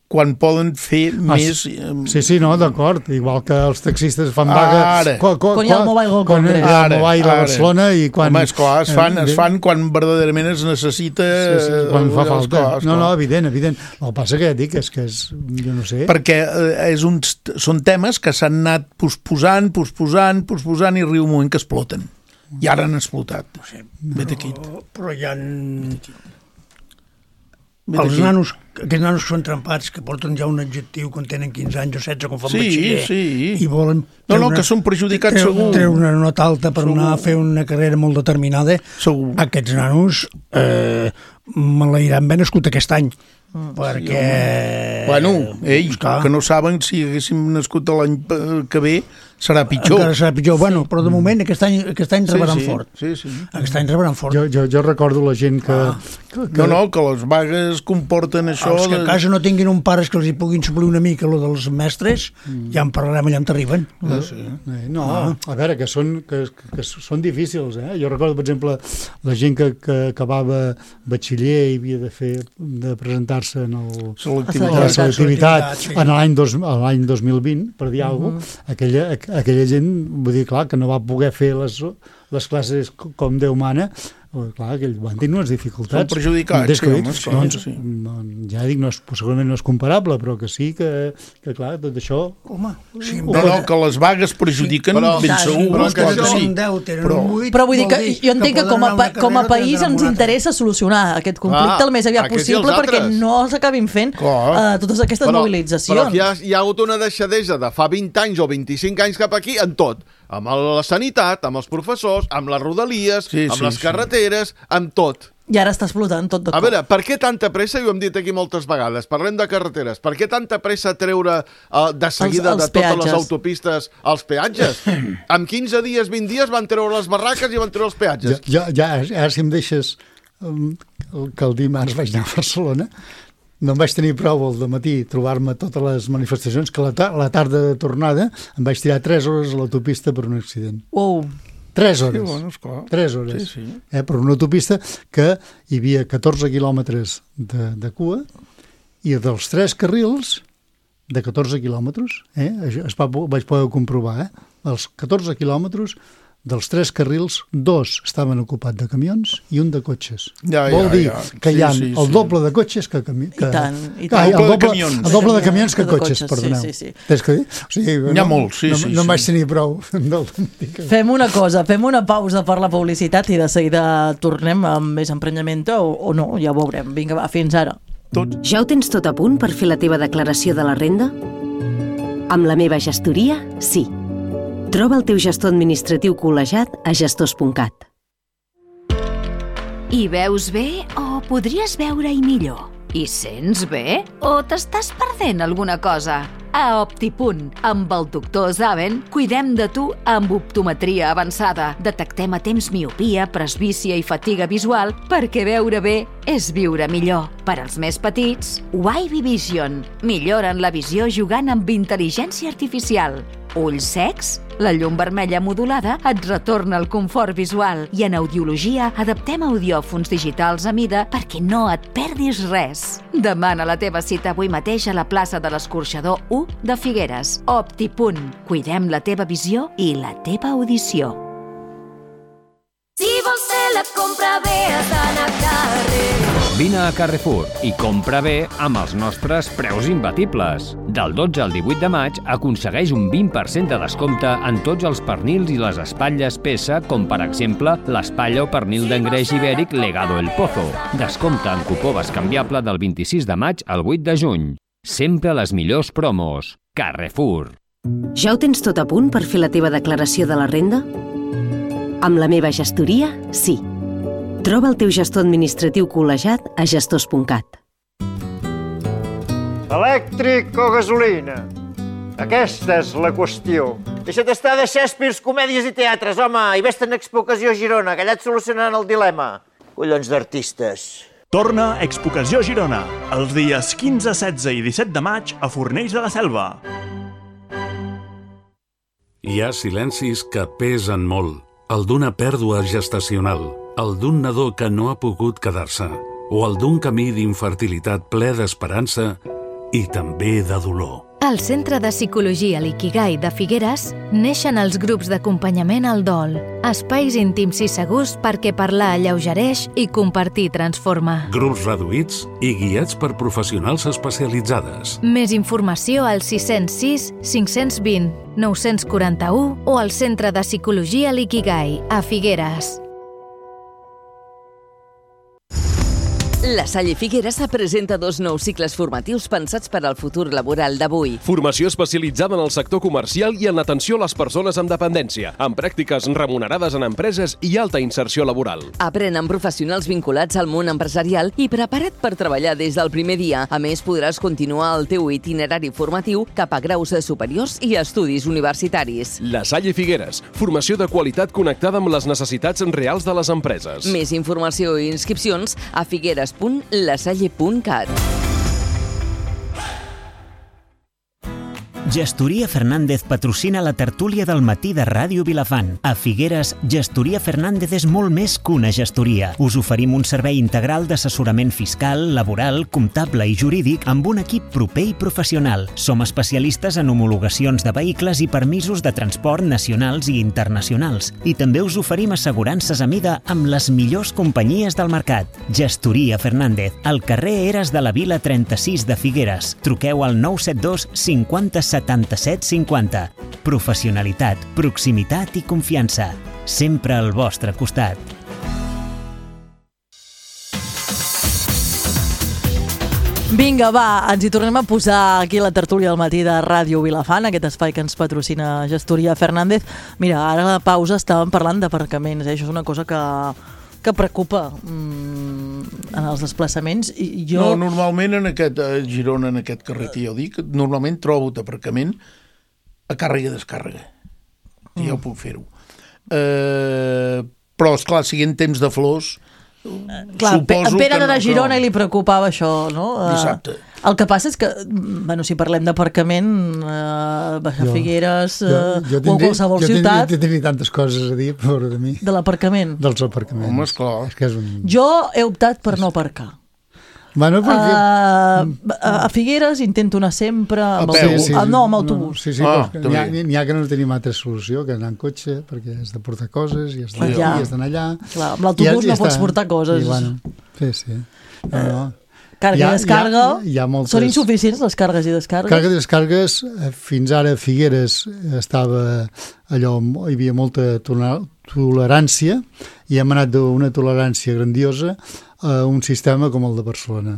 S4: quan poden fer ah, més...
S5: Sí, sí, no, d'acord. Igual que els taxistes fan vaga...
S3: Ara. Quan, quan, quan hi ha el Mobile World
S5: Congress. Quan hi ha el Mobile a Barcelona i quan...
S4: Home, esclar, es fan, es fan quan verdaderament es necessita...
S5: Sí, sí, quan fa falta.
S4: Esclar, esclar.
S5: No, no, evident, evident. El que passa que ja dic és que és... Jo no sé...
S4: Perquè és un, són temes que s'han anat posposant, posposant, posposant i arriba un moment que exploten. I ara han explotat.
S6: Sí,
S4: Vet aquí.
S6: Però, però hi ha... Els nanos, aquests nanos que són trempats, que porten ja un adjectiu quan tenen quinze anys o setze, quan fan
S4: sí,
S6: batxiller,
S4: sí.
S6: I volen...
S4: No, no, una, que són perjudicats
S6: treu,
S4: segur.
S6: Treu una nota alta per segur. Anar a fer una carrera molt determinada.
S4: Segur.
S6: Aquests nanos eh, malairan ben nascut aquest any. Mm, perquè...
S4: Sí, bueno, ells, que no saben si haguéssim nascut l'any que ve serà pitjor.
S6: Encara serà pitjor, bueno, però de moment aquest any, aquest any rebaran
S4: sí, sí,
S6: fort.
S4: Sí, sí.
S6: Aquest any rebaran fort.
S5: Jo, jo, jo recordo la gent que,
S6: ah.
S5: que, que...
S4: No, no, que les vagues comporten això...
S6: Els que a casa no tinguin un pares que els hi puguin suplir una mica lo dels mestres, mm. ja en parlarem allà on t'arriben.
S4: Ah, sí.
S5: No, ah. a veure, que són, que, que són difícils, eh? Jo recordo, per exemple, la gent que, que acabava batxiller i havia de fer de presentar-se en el...
S4: Selectivitat.
S5: La selectivitat sí. En l'any dos, dos mil vint, per dir uh -huh. alguna cosa, aquella, aquella gent, vull dir, clar, que no va poder fer les, les classes com Déu mana, clar, aquell van tenir unes dificultats.
S4: Són perjudicats, sí, home, esclar,
S5: doncs, sí. Ja dic, no és, segurament no és comparable, però que sí que, que clar, tot això...
S6: Home, sí,
S4: no, no, que les vagues perjudiquen, sí, ben segur,
S6: però
S4: que
S6: això...
S4: sí.
S6: Però,
S3: però vull dir que jo entenc que, que com, a, com a país ens interessa solucionar aquest conflicte ah, el més aviat possible perquè no s'acabin fent uh, totes aquestes
S1: però,
S3: mobilitzacions.
S1: Però hi ha, hi ha hagut una deixadesa de fa vint anys o vint-i-cinc anys cap aquí en tot. Amb la sanitat, amb els professors, amb les rodalies, sí, amb sí, les carreteres, sí. amb tot.
S3: I ara està explotant tot de cop.
S1: A veure, per què tanta pressa, i ho hem dit aquí moltes vegades, parlem de carreteres, per què tanta pressa treure uh, de seguida els, els de totes peatges. Les autopistes els peatges? En quinze dies, vint dies van treure les barraques i van treure els peatges.
S5: Ja, ja, ja si em deixes um, que el dimarts vaig anar a Barcelona, no em vaig tenir prou al dematí trobar-me totes les manifestacions, que la, ta la tarda de tornada em vaig tirar tres hores a l'autopista per un accident.
S3: Wow!
S5: Tres hores.
S4: Sí, bueno, esclar.
S5: Tres hores.
S4: Sí, sí.
S5: Eh, per una autopista que hi havia catorze quilòmetres de, de cua i dels tres carrils de catorze quilòmetres, eh, es va, vaig poder comprovar, eh, els catorze quilòmetres dels tres carrils, dos estaven ocupats de camions i un de cotxes.
S4: Ja,
S5: Vol
S4: ja,
S5: dir
S4: ja.
S5: que
S4: sí,
S5: hi ha
S4: sí,
S5: el
S4: sí.
S5: doble de cotxes que... que, que
S3: I tant, i
S5: ah,
S3: tant.
S5: el, doble,
S4: de
S5: el doble de camions que,
S3: que
S5: cotxes,
S3: cotxes,
S5: perdoneu.
S3: Sí, sí, sí.
S5: Tens que dir? O sigui,
S4: N'hi ha
S5: no,
S4: molt, sí,
S5: no,
S4: sí.
S5: No em
S4: sí.
S5: vaig tenir prou del...
S3: Fem una cosa, fem una pausa per la publicitat i de seguida tornem amb més emprenyament o, o no, ja ho veurem. Vinga, va, fins ara.
S4: Tot.
S7: Ja ho tens tot a punt per fer la teva declaració de la renda? Amb la meva gestoria, sí. Troba el teu gestor administratiu col·legiat a gestors punt cat.
S8: Hi veus bé o podries veure-hi millor? Hi sents bé o t'estàs perdent alguna cosa? A Optipunt, amb el doctor Zaven, cuidem de tu amb optometria avançada. Detectem a temps miopia, presbícia i fatiga visual perquè veure bé és viure millor. Per als més petits, Wavy Vision. Milloren la visió jugant amb intel·ligència artificial. Ulls secs? La llum vermella modulada et retorna el confort visual i en audiologia adaptem audiòfons digitals a mida perquè no et perdis res. Demana la teva cita avui mateix a la plaça de l'Escorxador u de Figueres. Optipunt. Cuidem la teva visió i la teva audició.
S9: Si vols fer la compra bé, has d'anar a Carrefour.
S10: Vine a Carrefour i compra bé amb els nostres preus imbatibles. Del dotze al divuit de maig aconsegueix un vint per cent de descompte en tots els pernils i les espatlles peça, com per exemple l'espatlla o pernil d'engreix ibèric Legado El Pozo. Descompte en cupó bescanviable del vint-i-sis de maig al vuit de juny. Sempre les millors promos. Carrefour.
S7: Ja ho tens tot a punt per fer la teva declaració de la renda? Amb la meva gestoria, sí. Troba el teu gestor administratiu col·legiat a gestors punt cat.
S11: Elèctric o gasolina? Aquesta és la qüestió. Deixa't estar de Shakespeare, comèdies i teatres, home, i vés-te'n a Expo Ocasió Girona, que allà et solucionaran el dilema. Collons d'artistes.
S12: Torna Expo Ocasió Girona, els dies quinze, setze i disset de maig a Fornells de la Selva.
S13: Hi ha silencis que pesen molt. El d'una pèrdua gestacional, el d'un nadó que no ha pogut quedar-se, o el d'un camí d'infertilitat ple d'esperança i també de dolor.
S14: Al Centre de Psicologia L'Ikigai de Figueres neixen els grups d'acompanyament al dol, espais íntims i segurs perquè parlar alleugereix i compartir transforma.
S13: Grups reduïts i guiats per professionals especialitzades.
S14: Més informació al sis zero sis, cinc dos zero, nou quatre u o al Centre de Psicologia L'Ikigai a Figueres.
S15: La Salle Figueres presenta dos nous cicles formatius pensats per al futur laboral d'avui.
S16: Formació especialitzada en el sector comercial i en l'atenció a les persones amb dependència, amb pràctiques remunerades en empreses i alta inserció laboral.
S15: Aprèn amb professionals vinculats al món empresarial i prepara't per treballar des del primer dia. A més, podràs continuar el teu itinerari formatiu cap a graus superiors i estudis universitaris.
S16: La Salle Figueres, formació de qualitat connectada amb les necessitats reals de les empreses.
S15: Més informació i inscripcions a figueres punt lasalle punt cat.
S2: Gestoria Fernández patrocina la tertúlia del matí de Ràdio Vilafant. A Figueres, Gestoria Fernández és molt més que una gestoria. Us oferim un servei integral d'assessorament fiscal, laboral, comptable i jurídic amb un equip proper i professional. Som especialistes en homologacions de vehicles i permisos de transport nacionals i internacionals. I també us oferim assegurances a mida amb les millors companyies del mercat. Gestoria Fernández, al carrer Eres de la Vila trenta-sis de Figueres. Truqueu al nou set dos cinquanta setanta-set cinquanta. Professionalitat, proximitat i confiança. Sempre al vostre costat.
S3: Vinga, va, ens hi tornem a posar aquí a la tertúlia del matí de Ràdio Vilafant, aquest espai que ens patrocina Gestoria Fernández. Mira, ara a la pausa estàvem parlant d'aparcaments, eh? Això és una cosa que, que preocupa mm, en els desplaçaments. I jo...
S4: No, normalment en aquest, a Girona, en aquest carrer que jo dic, normalment trobo aparcament a càrrega i descàrrega. Mm. Ja ho puc fer-ho. Eh, però, esclar, siguent temps de flors...
S3: Clar, a Pere de Girona li preocupava això, no?
S4: Dissabte.
S3: El que passa és que, bueno, si parlem d'aparcament, eh, baixar Figueres eh, jo, jo tindré, o qualsevol
S5: jo
S3: ciutat...
S5: Jo tindria tantes coses a dir, pobre de mi.
S3: De l'aparcament?
S5: Dels aparcaments.
S4: Home, esclar.
S5: És que és un...
S3: Jo he optat per no aparcar.
S5: Bueno, perquè...
S3: uh, a Figueres intento anar sempre amb autobús. Sí, sí, ah, no, amb autobús.
S5: No, sí, sí, ah, n'hi ha, n'hi ha que no tenim altra solució que anar en cotxe, perquè has de portar coses i has d'anar
S3: ja.
S5: aquí, has d'anar allà.
S3: Clar, amb l'autobús no pots portar coses.
S5: I, bueno, sí, sí. No, no.
S3: Càrrega i descàrrega,
S5: hi ha, hi ha moltes...
S3: són insuficients les càrregues i descàrregues?
S5: Càrregues i descàrregues, fins ara a Figueres estava allò, hi havia molta tolerància i hem anat d'una tolerància grandiosa a un sistema com el de Barcelona,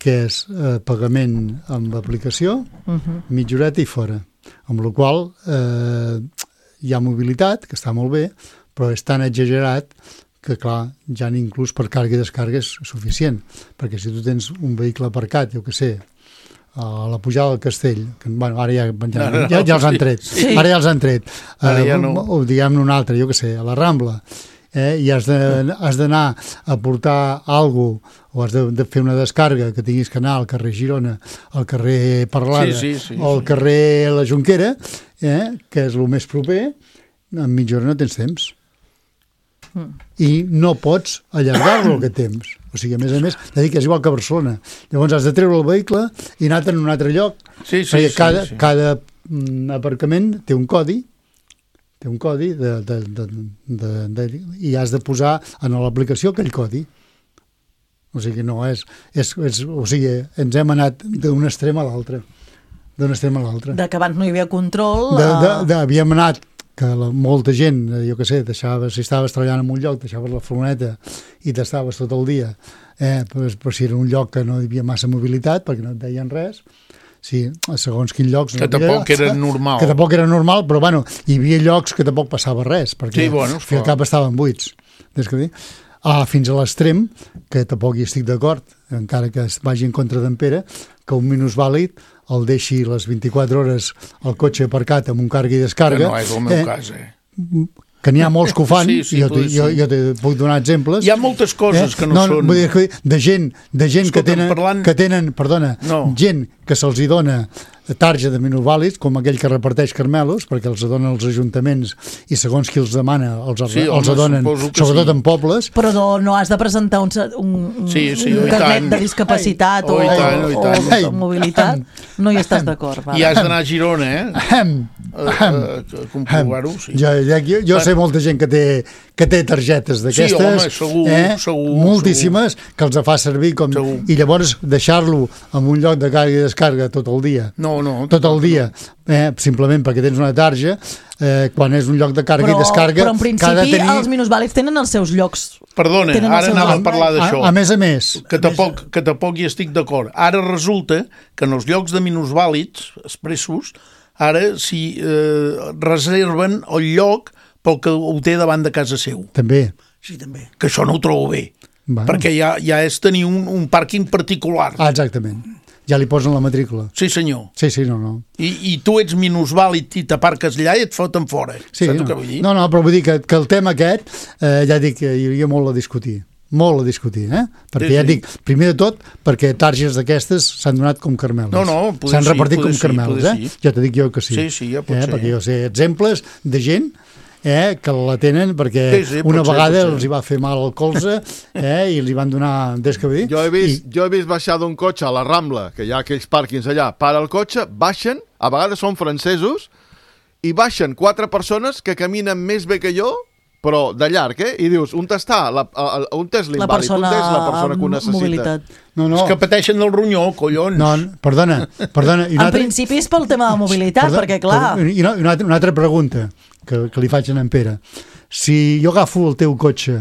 S5: que és eh, pagament amb aplicació, uh-huh. mitja horeta i fora. Amb la qual eh, hi ha mobilitat, que està molt bé, però és tan exagerat que, clar, ja inclús per càrrega i descàrrega és suficient, perquè si tu tens un vehicle aparcat, jo què sé, a la pujada del Castell, que bueno, ara ja, ja, ja, ja els han tret, sí. ara ja els han tret, eh, ja no. o diguem-ne un altre, jo què sé, a la Rambla, eh, i has de, has d'anar a portar alguna cosa, o has de, de fer una descàrrega que tinguis que anar al carrer Girona, al carrer Parlada,
S4: sí, sí, sí,
S5: o al carrer La Jonquera, eh, que és el més proper, en mitja hora no tens temps. Mm. I no pots allargar-lo aquest temps. O sigui, a més a més, ja dic que és igual que a Barcelona. Llavors has de treure el vehicle i anar en un altre lloc.
S4: Sí, sí, sí,
S5: cada,
S4: sí.
S5: cada mm, aparcament té un codi, té un codi de, de, de, de, de, i has de posar en l'aplicació aquell codi. O sigui, no és, és, és... O sigui, ens hem anat d'un extrem a l'altre. D'un extrem a l'altre.
S3: De que abans no hi havia control...
S5: De, de, de, havíem anat que la, molta gent, jo què sé, deixaves, si estaves treballant en un lloc, deixaves la furgoneta i t'estaves tot el dia, eh, però, però si era un lloc que no hi havia massa mobilitat, perquè no et deien res, sí, a segons quins llocs...
S4: Que no tampoc era normal.
S5: Que tampoc era normal, però bueno, hi havia llocs que tampoc passava res, perquè
S4: sí, bueno,
S5: al cap estaven buits. Des que dir... Ah, fins a l'extrem, que tampoc hi estic d'acord, encara que es vagi en contra d'en Pere, que un minusvàlid el deixi les vint-i-quatre hores al cotxe aparcat amb un càrrega i descàrrega.
S4: Que no és el meu eh, cas, eh?
S5: Que n'hi ha molts que ho fan,
S4: sí, sí,
S5: jo, te, jo, jo te puc donar exemples.
S4: Hi ha moltes coses eh? que no, no són...
S5: Vull dir, de gent, de gent Escolta, que, tenen, parlant... que tenen, perdona, no. gent que se'ls hi dona tarja de minusvàlids, com aquell que reparteix carmelos, perquè els donen els ajuntaments i segons qui els demana els, sí, els home, donen, sobretot sí. en pobles.
S3: Però no, no has de presentar un, un,
S4: sí, sí,
S3: un carnet de discapacitat o, o, tant, o, o, o mobilitat. No hi estàs d'acord.
S4: I has d'anar a Girona, eh? Ahem. A, a, a comprovar-ho, sí.
S5: Jo, jo, jo sé molta gent que té, que té targetes d'aquestes,
S4: sí, home, segur,
S5: eh?
S4: segur,
S5: moltíssimes, segur. Que els fa servir com...
S4: Segur.
S5: I llavors deixar-lo en un lloc de càrrega i descàrrega tot el dia.
S4: No, no.
S5: Tot el dia, eh? simplement perquè tens una tarja, eh, quan és un lloc de càrrega
S3: però,
S5: i descàrrega...
S3: Però en principi tenir... els minusvàlids tenen els seus llocs.
S4: Perdona, ara anava a parlar d'això.
S5: A, a més a més.
S4: Que tampoc, que tampoc hi estic d'acord. Ara resulta que en els llocs de minusvàlids expressos, ara si eh, reserven el lloc pel que ho té davant de casa seu.
S5: També.
S6: Sí, també.
S4: Que això no ho trobo bé.
S5: Bueno.
S4: Perquè ja, ja és tenir un, un pàrquing particular.
S5: Ah, exactament. Ja li posen la matrícula.
S4: Sí, senyor.
S5: Sí, sí, no, no.
S4: I, i tu ets minusvàlid i t'aparques allà i et foten fora.
S5: Sí,
S4: Saps
S5: no.
S4: què vull dir?
S5: No, no, però vull dir que, que el tema aquest, eh, ja dic que hi hauria molt a discutir. molt a discutir, eh? Perquè
S4: sí,
S5: ja
S4: sí.
S5: dic, primer de tot, perquè targes d'aquestes s'han donat com carmeles.
S4: No, no, poder
S5: s'han
S4: sí,
S5: repartit
S4: poder
S5: com
S4: sí,
S5: carmeles,
S4: poder
S5: eh?
S4: sí.
S5: Ja t'ho dic jo que sí.
S4: Sí, sí, ja pot
S5: eh?
S4: ser.
S5: Perquè jo sé exemples de gent eh, que la tenen perquè
S4: Sí, sí,
S5: una
S4: pot ser,
S5: vegada
S4: pot ser.
S5: els hi va fer mal al colze eh, i li van donar descabir.
S1: Jo he vist, I... jo he vist baixar d'un cotxe a la Rambla, que hi ha aquells pàrquings allà, para el cotxe, baixen, a vegades són francesos, i baixen quatre persones que caminen més bé que jo, però de llarg, eh? I dius, on està? La, on és l'invàlid?
S3: La persona,
S1: on és la persona que ho necessita?
S3: mobilitat.
S5: No, no.
S4: És que pateixen del ronyó, collons.
S5: No, perdona, perdona. I
S3: En
S5: altre...
S3: principi és pel tema de mobilitat,
S5: Perdona,
S3: perquè clar...
S5: Perdona, I una, una, altra, una altra pregunta que, que li faig a en Pere. Si jo agafo el teu cotxe,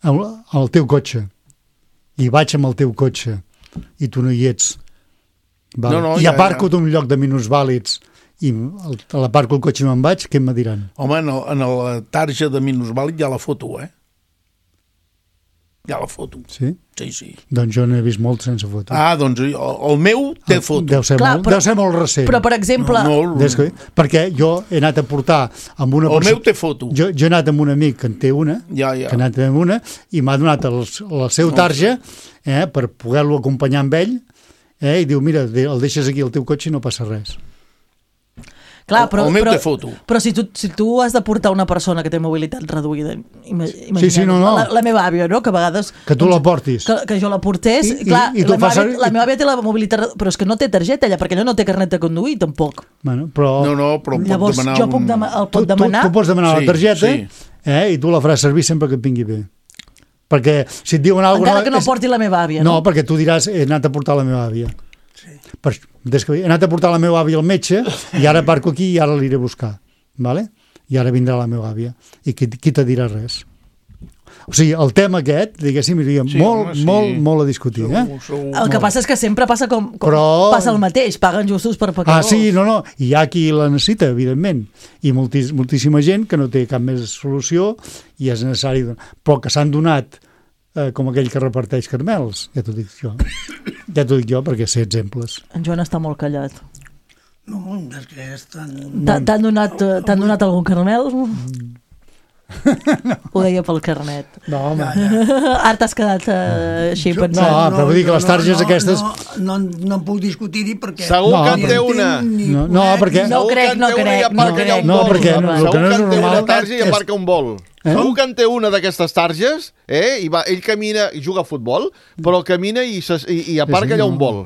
S5: el, el teu cotxe, i vaig amb el teu cotxe, i tu no hi ets, val?
S4: No, no,
S5: i
S4: ja,
S5: aparco
S4: ja.
S5: d'un lloc de minusvàlids, i el, l'aparco el cotxe i me'n vaig, què em diran?
S4: Home, en, el, en la tarja de minusvàlid hi ha la foto, eh? Hi ha la foto.
S5: Sí?
S4: Sí, sí.
S5: Doncs jo n'he vist molt sense foto.
S4: Ah, doncs el, el meu té foto.
S5: Deu ser,
S3: Clar,
S5: molt,
S3: però-
S5: deu ser molt recent.
S3: Però, per exemple...
S4: No, no,
S5: Des que, perquè jo he anat a portar amb una
S4: El meu té foto.
S5: Jo, jo he anat amb un amic que en té una,
S4: Ja, ja.
S5: que ha anat amb una, i m'ha donat el, el seu tarja eh, per poder-lo acompanyar amb ell, eh, i diu, mira, de- el deixes aquí al teu cotxe i no passa res.
S3: Clar,
S4: El-
S3: però,
S4: el meu
S3: però,
S4: té foto.
S3: Però si tu, si tu has de portar una persona que té mobilitat reduïda, ima- imaginem,
S5: Sí, sí, no, no.
S3: La, la meva àvia, no?, que a vegades...
S5: Que tu la portis.
S3: Que, que jo la portés,
S5: I- i-
S3: clar,
S5: i tu
S3: la, meva
S5: fas
S3: àvia,
S5: servir-
S3: la meva àvia té la mobilitat, redu- però és que no té targeta ella, perquè ella no té carnet de conduir, tampoc.
S5: Bueno, però...
S4: No, no, però pot
S3: Llavors,
S4: demanar
S3: jo
S4: un...
S3: puc dema el
S5: tu,
S3: pot demanar...
S5: Tu, tu pots demanar
S4: Sí,
S5: la targeta
S4: sí.
S5: eh, i tu la faràs servir sempre que et vingui bé. Perquè si et diuen alguna
S3: Encara que no porti la meva àvia,
S5: no?
S3: no?
S5: No, perquè tu diràs, he anat a portar la meva àvia. Sí. Per, des que he anat a portar la meva àvia al metge i ara parco aquí i ara l'iré a buscar. Vale? I ara vindrà la meva àvia. I qui, qui te dirà res? O sigui, el tema aquest, diguéssim, iria
S4: Sí,
S5: molt,
S4: home, sí.
S5: molt, molt a discutir. Eh?
S4: Segur, segur.
S3: El que passa és que sempre passa com, com
S5: Però-
S3: passa el mateix, paguen justos per
S5: Ah,
S3: pecadors.
S5: sí, no, no, i hi ha qui la necessita, evidentment, i moltis, moltíssima gent que no té cap més solució i és necessari, però que s'han donat eh, com aquell que reparteix carmels, ja t'ho dic jo, ja t'ho dic jo perquè sé exemples.
S3: En Joan està molt callat.
S6: No, és que és tan...
S3: T'ha- T'han donat, eh, t'han donat algun carmel? No. Ho deia pel carnet.
S5: No, home.
S3: Ara t'has quedat eh, així
S5: Jo-
S3: pensant.
S5: no, però vull dir que les targes
S6: no,
S5: aquestes-
S6: No, no, no en puc discutir-hi perquè...
S1: Segur
S5: No,
S1: que en té
S6: ni
S1: una.
S6: entenc ni
S5: No, no,
S6: conec,
S5: perquè-
S6: ni-
S3: No
S1: Segur
S3: crec,
S1: que en
S3: no
S1: té una i
S3: crec,
S1: aparca
S3: no
S1: allà
S3: crec.
S1: un
S5: No,
S1: vol.
S5: perquè no, el
S1: Segur
S5: que no
S1: que
S5: és
S1: en té una
S5: normal
S1: tarja i
S5: és-
S1: aparca un vol.
S5: Eh?
S1: Segur que en té una d'aquestes targes, eh? I va, ell camina i juga a futbol, però camina i, se, i, i aparca
S5: Sí, sí,
S1: allà
S5: no.
S1: un vol.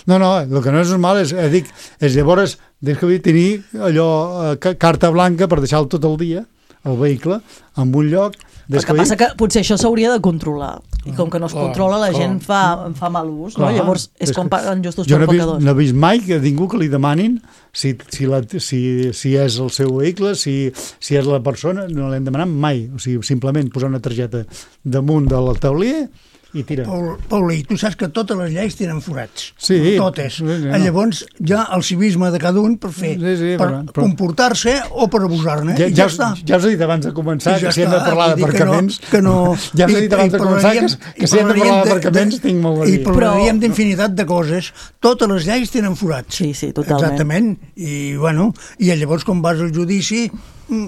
S5: No, no, el que no és normal és, eh, dic, és llavors, des que vull tenir allò, eh, ca- carta blanca per deixar-lo tot el dia, el vehicle, en un lloc...
S3: El que passa que potser això s'hauria de controlar. I com que no es
S5: Clar,
S3: controla, la
S5: clar.
S3: gent fa, fa mal ús, no?
S5: Clar,
S3: Llavors és
S5: és
S3: com
S5: que
S3: paguen justos
S5: jo
S3: per
S5: no he, vist,
S3: pecadors.
S5: no he vist mai que ningú que li demanin si, si, la, si, si és el seu vehicle, si, si és la persona, no l'hem demanat mai. O sigui, simplement posar una targeta damunt del taulell i tira.
S6: Paul, Paulí, tu saps que totes les lleis tenen forats.
S5: Sí.
S6: Totes.
S5: Sí, sí, no.
S6: Llavors, ja el civisme de cada un per fer,
S5: Sí, sí,
S6: per
S5: però- però-
S6: comportar-se o per abusar-ne.
S5: Ja,
S6: I
S5: ja,
S6: ja està.
S5: ja us he dit abans de començar
S6: I ja
S5: que si hem de
S6: està.
S5: parlar
S6: Vull dir que no-
S5: d'aparcaments...
S6: que no-
S5: Ja us he
S6: i-
S5: dit abans
S6: i
S5: de començar que,
S6: parlaríem-
S5: que
S6: i
S5: si hem de parlar
S6: parlaríem de-
S5: d'aparcaments tinc molt a dir.
S6: I parlaríem d'infinitat de coses. Totes les lleis tenen forats.
S3: Sí, sí, totalment.
S6: Exactament. I, bueno, i llavors, quan vas al judici, mm,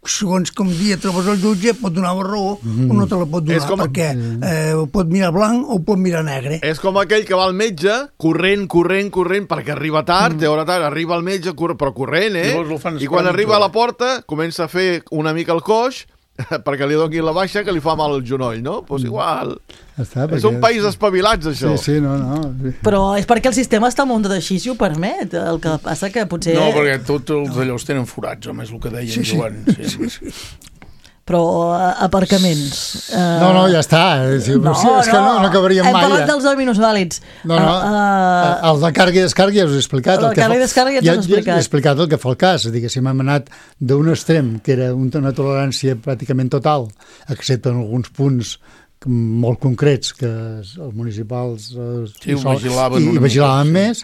S6: segons com dia trobes el jutge, pot donar la raó
S5: Mm.
S6: o no te la pot donar,
S1: És com-
S6: perquè eh, ho pot mirar blanc o ho pot mirar negre.
S1: És com aquell que va al metge, corrent, corrent, corrent, perquè arriba tard, mm. té hora tard, arriba al metge, corre, però corrent, eh?
S4: Llavors el fan
S1: I quan
S4: esperar
S1: arriba a
S4: mitja
S1: la porta, comença a fer una mica el coix, perquè li doni la baixa que li fa mal el genoll, no? Doncs igual.
S5: Ja està,
S1: És un país espavilats, això.
S5: Sí, sí, no, no. Sí.
S3: Però és perquè el sistema està muntat així, si ho permet. El que passa que potser...
S4: No, perquè tots els allòs tenen forats, home, és el que deia
S6: Sí,
S4: en
S6: sí.
S4: Joan. Sí, sí.
S3: Però eh, aparcaments... Eh...
S5: No, no, ja està. Sí,
S3: No,
S5: sí, és que no, no acabaríem
S3: Hem
S5: mai.
S3: parlat
S5: ja.
S3: dels minusvàlids.
S5: No, no,
S3: Uh,
S5: el de càrrega i descàrrega ja us he explicat.
S3: El de
S5: que
S3: càrrega i
S5: fa-
S3: descàrrega ja ens
S5: ja,
S3: has explicat.
S5: Ja he explicat el que fa el cas. Diguéssim, hem anat d'un extrem, que era una tolerància pràcticament total, excepte en alguns punts molt concrets que els municipals eh,
S4: Sí, ho vigilaven
S5: i,
S4: una
S5: i vigilaven
S4: mica,
S5: més,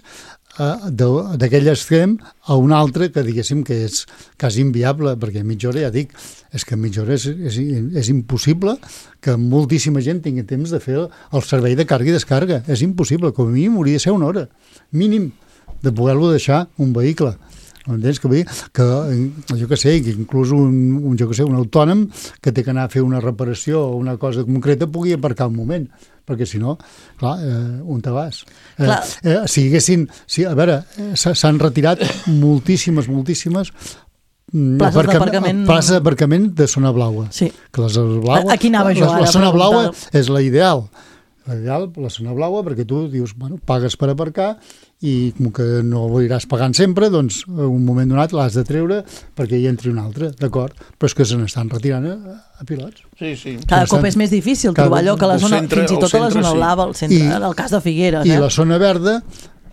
S5: eh, de- d'aquell extrem a un altre que diguéssim que és quasi inviable, perquè a mitja hora, ja dic, és que a mitja hora és, és, és impossible que moltíssima gent tingui temps de fer el servei de càrrega i descàrrega. És impossible, com a mínim hauria de ser una hora, mínim, de poder-lo deixar un vehicle. Entens? Que, vull dir que jo que sé, que inclús un, un, jo que sé, un autònom que té que anar a fer una reparació o una cosa concreta pugui aparcar un moment, perquè si no, clar, eh, on te vas? Eh, eh, si haguessin, si, a veure, s'han retirat moltíssimes, moltíssimes
S3: places d'aparcament
S5: places d'aparcament de zona blaua.
S3: Sí.
S5: Que la zona blaua,
S3: aquí anava jo
S5: la,
S3: ara.
S5: La zona blaua és la ideal. L'ideal, la zona blaua, perquè tu dius, bueno, pagues per aparcar i com que no ho aniràs pagant sempre, doncs un moment donat l'has de treure perquè hi entri un altre, d'acord? Però és que se n'estan retirant a, a pilots.
S4: Sí, sí.
S3: Cada cop és més difícil trobar allò que la zona, fins i tot a la zona blava, al centre, en el cas de Figueres.
S5: I la zona verda,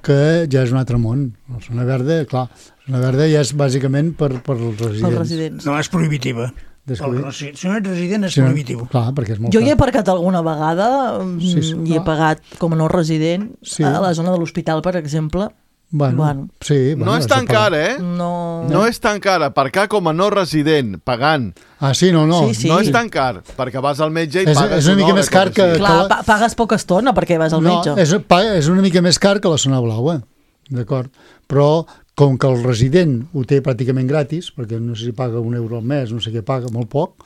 S5: que ja és un altre món. La zona verda, clar, la zona verda ja és bàsicament per, per als residents.
S3: Els residents.
S6: No, és prohibitiva.
S5: Descobrir.
S6: Si no ets resident és sí, prohibitiu.
S5: Clar, perquè és molt
S3: jo hi he aparcat alguna vegada
S5: sí, sí,
S3: i he pagat com a no resident sí. a la zona de l'hospital, per exemple.
S5: Bueno,
S3: bueno.
S5: Sí, bueno,
S1: no és tan car, eh?
S3: No...
S1: no és tan car. Aparcar com a no resident, pagant.
S5: Ah, sí? No, no.
S3: Sí, sí.
S1: No és tan car, perquè vas al metge i
S5: és,
S1: pagues
S5: és una mica més car que...
S3: Clar,
S5: que
S3: la... pagues poca estona perquè vas al
S5: no,
S3: metge.
S5: És, és una mica més car que la zona blaua, d'acord? Però com que el resident ho té pràcticament gratis, perquè no sé si paga un euro al mes, no sé què paga, molt poc,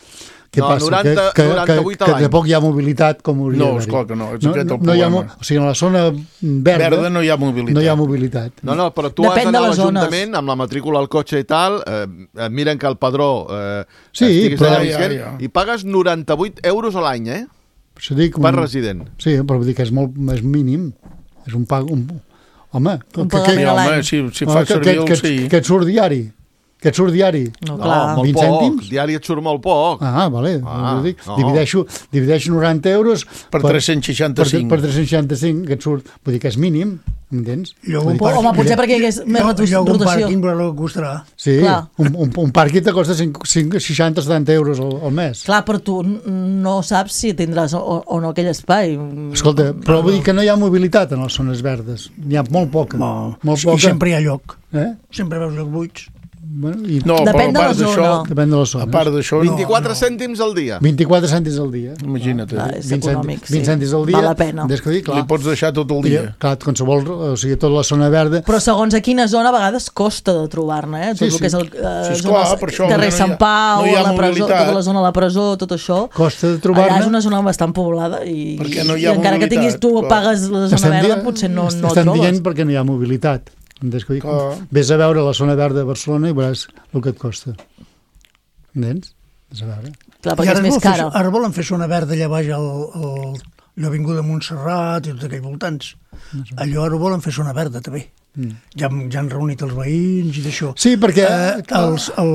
S5: què
S1: no,
S5: passa?
S1: noranta,
S5: que, que,
S1: noranta-vuit
S5: que, que de poc hi ha mobilitat com hauria
S4: no,
S5: d'haver-hi.
S4: No, esclar que no, és
S5: no,
S4: aquest el
S5: no
S4: problema.
S5: Ha, o sigui, en la zona verda,
S4: verda no hi ha mobilitat.
S5: No hi ha mobilitat.
S1: No, no, però tu
S3: Depèn
S1: has d'anar a
S3: de les
S1: l'Ajuntament amb la matrícula al cotxe i tal, eh, miren que el padró eh,
S5: sí,
S1: estiguis
S5: però,
S1: allà
S4: ja,
S1: visquent,
S4: ja.
S1: i pagues noranta-vuit euros a l'any, eh?
S5: Dic,
S1: per
S5: un,
S1: resident.
S5: Sí, però vull dir que és molt és mínim. És un pag... Un, home,
S3: un
S5: que, que,
S3: que,
S4: home, si, si fa
S5: que,
S4: servir
S5: que,
S4: el
S5: que,
S4: sí.
S5: que et surt diari. Que et surt diari.
S3: No,
S1: no molt
S5: vint
S1: poc.
S5: cèntims?
S1: Diari et surt molt poc.
S5: Ah, vale.
S1: Ah,
S5: dic,
S1: no.
S5: divideixo, divideixo noranta euros
S4: per, per tres-cents seixanta-cinc.
S5: Per, per tres-cents seixanta-cinc, que et surt. Vull dir que és mínim, entens?
S3: Home, potser perquè hi hagués més rotació.
S6: Lloc un pàrquing, però que costarà.
S5: Sí, un, un, un pàrquing te costa seixanta o setanta euros al, al mes.
S3: Clar, però tu no saps si tindràs o, o no aquell espai.
S5: Escolta, però vull dir que no hi ha mobilitat en les zones verdes. N'hi ha molt poca.
S6: No,
S5: molt
S6: poca. I sempre hi ha lloc.
S5: Eh?
S6: Sempre veus lloc buits.
S5: Bueno, i...
S4: No,
S3: depèn
S4: però a part
S3: de la zona.
S5: Depèn de les zones.
S4: A part d'això, no.
S1: vint-i-quatre no. cèntims al dia.
S5: vint-i-quatre cèntims al dia.
S4: Imagina't.
S3: Va, és
S5: vint
S3: econòmic,
S5: cèntims, vint
S3: sí.
S5: cèntims al dia.
S3: Val la pena.
S5: Des que dir, clar,
S4: li pots deixar tot el dia.
S5: I, clar, qualsevol, o sigui, tota la zona verda...
S3: Però segons a quina zona a vegades costa de trobar-ne, eh? Tot
S5: sí,
S3: el que és el
S5: sí.
S3: eh,
S4: sí,
S3: zona,
S4: esclar, per això,
S3: carrer
S4: no
S3: Sant Pau,
S4: no hi ha
S3: la presó,
S4: mobilitat.
S3: tota la zona de la presó, tot això.
S5: Costa de trobar-ne.
S3: Allà és una zona bastant poblada i,
S4: perquè no hi ha
S3: i encara que tinguis tu
S4: clar.
S3: pagues la zona
S5: estem
S3: verda,
S5: dient,
S3: potser no, no
S5: estem
S3: trobes.
S5: dient perquè no hi ha mobilitat. Ves a veure la zona verda de Barcelona i veuràs el que et costa. Entens? Ves a veure.
S3: Clar, perquè és més cara.
S6: Fer, ara volen fer zona verda allà baix al, al, l'Avinguda Montserrat i tots aquells voltants. No sé. Allò ara volen fer zona verda també. Mm. Ja, ja han reunit els veïns i d'això.
S5: Sí, perquè...
S6: Eh, els, el,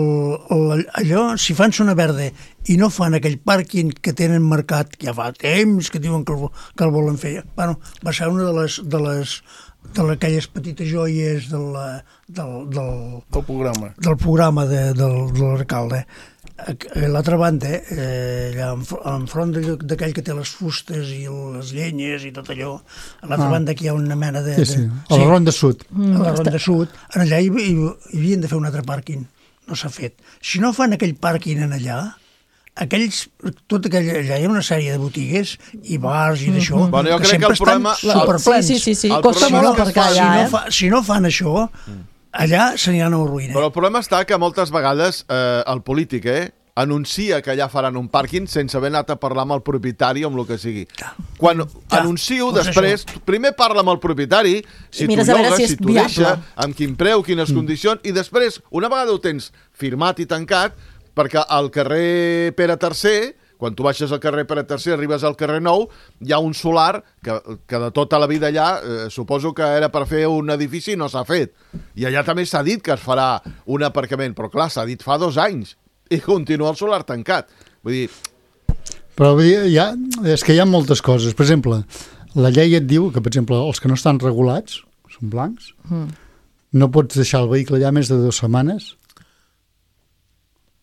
S6: el, allò, si fan zona verda i no fan aquell pàrquing que tenen marcat, ja fa temps que diuen que el, que el volen fer, bueno, va ser una de les... De les de aquelles petites joies del, del, del,
S4: del programa,
S6: del programa de, del, de l'alcalde. A l'altra banda, eh, allà enfront d'aquell que té les fustes i les llenyes i tot allò, a l'altra ah. banda aquí hi ha una mena de...
S5: Sí, sí, a la sí, Ronda Sud.
S6: A la Ronda Sud. En allà hi, hi, hi havien de fer un altre pàrquing. No s'ha fet. Si no fan aquell pàrquing en allà, aquells, tot aquell, allà hi ha una sèrie de botigues i bars i d'això,
S1: mm-hmm. bueno, jo
S6: que
S1: crec
S6: sempre
S1: que el problema,
S6: estan superplens.
S3: Sí, sí, sí, sí. costa molt aparcar allà,
S6: si no,
S3: eh?
S6: fa, si no fan això, allà s'aniran a la ruïna.
S1: Però el problema està que moltes vegades eh, el polític, eh, anuncia que allà faran un pàrquing sense haver anat a parlar amb el propietari o amb el que sigui. Quan ja, anuncio, doncs després, això. Primer parla amb el propietari, si tu llogues, si, si tu deixa, amb quin preu, quines mm. condicions, i després, una vegada ho tens firmat i tancat, perquè al carrer Pere tercer, quan tu baixes al carrer Pere tercer, arribes al carrer Nou, hi ha un solar que, que de tota la vida allà, eh, suposo que era per fer un edifici i no s'ha fet. I allà també s'ha dit que es farà un aparcament, però clar, s'ha dit fa dos anys. I continua el solar tancat. Vull dir...
S5: Però vull dir, ja, és que hi ha moltes coses. Per exemple, la llei et diu que, per exemple, els que no estan regulats, són blancs, mm. no pots deixar el vehicle allà més de dues setmanes.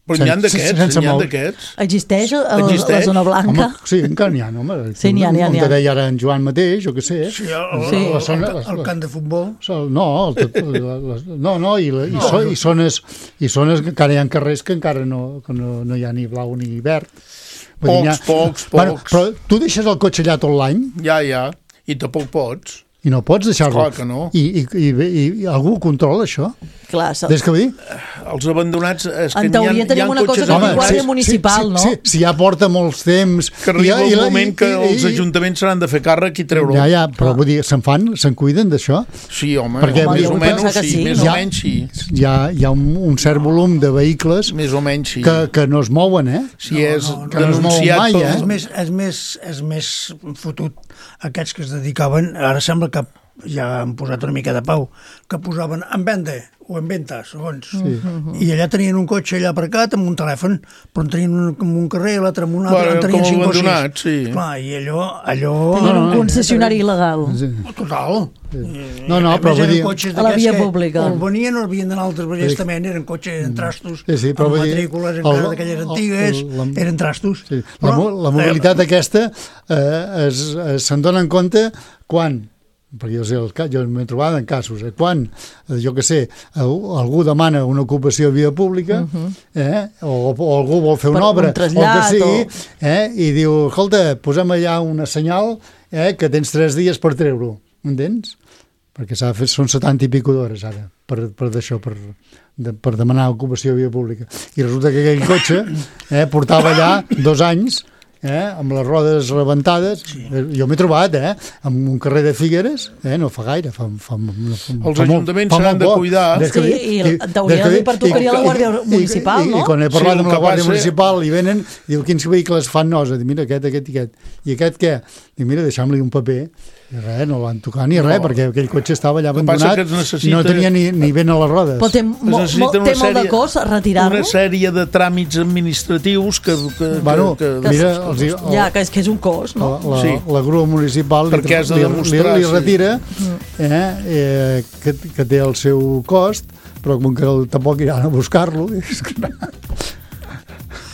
S4: Però n'hi ha d'aquests, n'hi ha d'aquests.
S3: Existeix, el, Existeix la zona blanca?
S5: Home, sí, encara n'hi ha, home.
S3: Sí, n'hi ha, n'hi ha.
S5: Com te deia ara en Joan mateix, o què sé.
S6: Sí, el, sí. El, el, el, el camp de futbol.
S5: No, el, no, no, i, i, so, i, zones, i zones que encara hi ha carrers que encara no, que no, no hi ha ni blau ni verd.
S4: Pocs, dir, ha, pocs, pocs.
S5: Bueno, però tu deixes el cotxe allà tot l'any?
S4: Ja, ja, i tampoc pots.
S5: I no pots deixar-lo.
S4: Clar que no.
S5: I, i, i, i, i algú controla això?
S3: Clar,
S5: Des que vull dir?
S4: Els abandonats... És que
S3: en teoria
S4: hi ha,
S3: tenim
S4: hi ha
S3: una cosa com guàrdia municipal,
S5: sí,
S3: no?
S5: Sí, sí, si ja porta molts temps...
S4: Que arriba
S5: i,
S4: el
S5: i,
S4: moment
S5: i,
S4: que
S5: i,
S4: els ajuntaments s'han de fer càrrec i treure-ho.
S5: Ja, ja, però vull dir, se'n fan, se'n cuiden d'això?
S4: Sí, home,
S5: perquè
S4: home més o menys sí,
S3: sí,
S4: més
S5: no?
S4: o menys sí.
S5: Hi ha, hi ha un, un cert volum de vehicles
S4: més o menys sí.
S5: que, que no es mouen, eh?
S4: Si no, és
S6: no,
S5: que no es mouen mai,
S6: pel...
S5: eh?
S6: És més, és, més, és més fotut aquests que es dedicaven, ara sembla que ja han posat una mica de pau, que posaven en venda o en venta, segons. Sí. I allà tenien un cotxe allà aparcat amb un telèfon, però en tenien un, un carrer, l'altre amb un altre, en tenien cinc o sis.
S4: Sí.
S6: Clar, i allò... allò...
S3: Tenien un concessionari il·legal.
S6: Sí. Total.
S5: Sí. No, no, però vull dir...
S3: A la via pública.
S6: O el venien o el venien d'altres vegades també, eren cotxes en trastos,
S5: sí, sí,
S6: amb matrícules encara d'aquelles antigues, el, el, eren trastos.
S5: Sí. La, però, la mobilitat eh, aquesta eh, es, es, se'n dona en compte quan... perquè jo, sé, jo m'he trobat en casos, eh? quan, jo que sé, algú demana una ocupació a via pública, uh -huh. eh? o, o algú vol fer una per obra,
S3: un
S5: o que sigui,
S3: o...
S5: eh? i diu, escolta, posem allà una senyal eh? que tens tres dies per treure-ho, entens? Perquè s'ha fet, són setanta i pico d'hores ara, per, per d'això, per, de, per demanar ocupació a via pública. I resulta que aquell cotxe eh? portava allà dos anys, Eh, amb les rodes rebentades, sí. Jo m'he trobat eh, amb un carrer de Figueres, eh, no fa gaire, fa, fa, fa,
S4: els ajuntaments s'han de cuidar.
S3: Sí, i en teoria li pertocaria la Guàrdia Municipal,
S5: i, i,
S3: no?
S5: I quan he parlat
S4: sí,
S5: amb la Guàrdia
S4: passa...
S5: Municipal i venen, diu, quins vehicles fan nosa? Diu, mira, aquest, aquest i aquest. I aquest què? Diu, mira, deixa'm-li un paper. I res, no van tocar ni res, no. perquè aquell cotxe estava allà abandonat necessita... i no tenia ni, ni vent a les rodes.
S3: Però té, mo, mo, té sèrie, molt de cost retirar-lo?
S4: Una sèrie de tràmits administratius que... que,
S5: bueno,
S4: que, que
S5: mira,
S4: que,
S5: els, el,
S3: ja, que és, que és un cost, no?
S5: La, la,
S4: sí.
S5: la grua municipal li,
S4: de
S5: li, li, li retira
S3: sí.
S5: eh, eh, que, que té el seu cost, però com que tampoc iran a buscar-lo...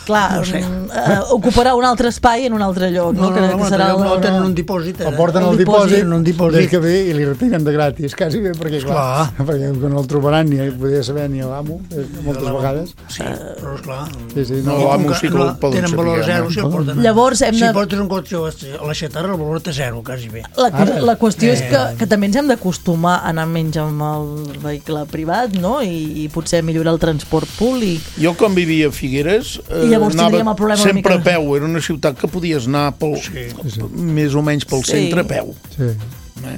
S3: Clar, no sé. uh, ocuparà un altre espai en un altre lloc, no?
S6: No, no,
S3: que,
S6: no,
S3: que serà
S6: no, no,
S3: el,
S6: tenen un dipòsit. Eh?
S5: El porten al dipòsit,
S6: en un dipòsit.
S5: que ve i li retiren de gratis, quasi bé, perquè clar, clar. perquè no el trobaran ni poder saber ni l'amo, moltes vegades.
S6: Sí, però esclar.
S5: Sí, sí,
S4: no,
S5: no,
S4: l'amo sí que el poden
S6: tenen valor zero si el porten.
S3: Llavors hem de...
S6: Si portes un cotxe a la xatarra, el valor té zero, quasi bé.
S3: La, la qüestió eh. és que, que també ens hem d'acostumar a anar menys amb el vehicle privat, no? I, i potser millorar el transport públic.
S4: Jo quan vivia a Figueres eh,
S3: I llavors tindríem el problema
S4: sempre
S3: una mica...
S4: a peu, era una ciutat que podies anar pel, sí, sí. més o menys pel sí. centre a peu.
S5: Sí.
S4: Eh?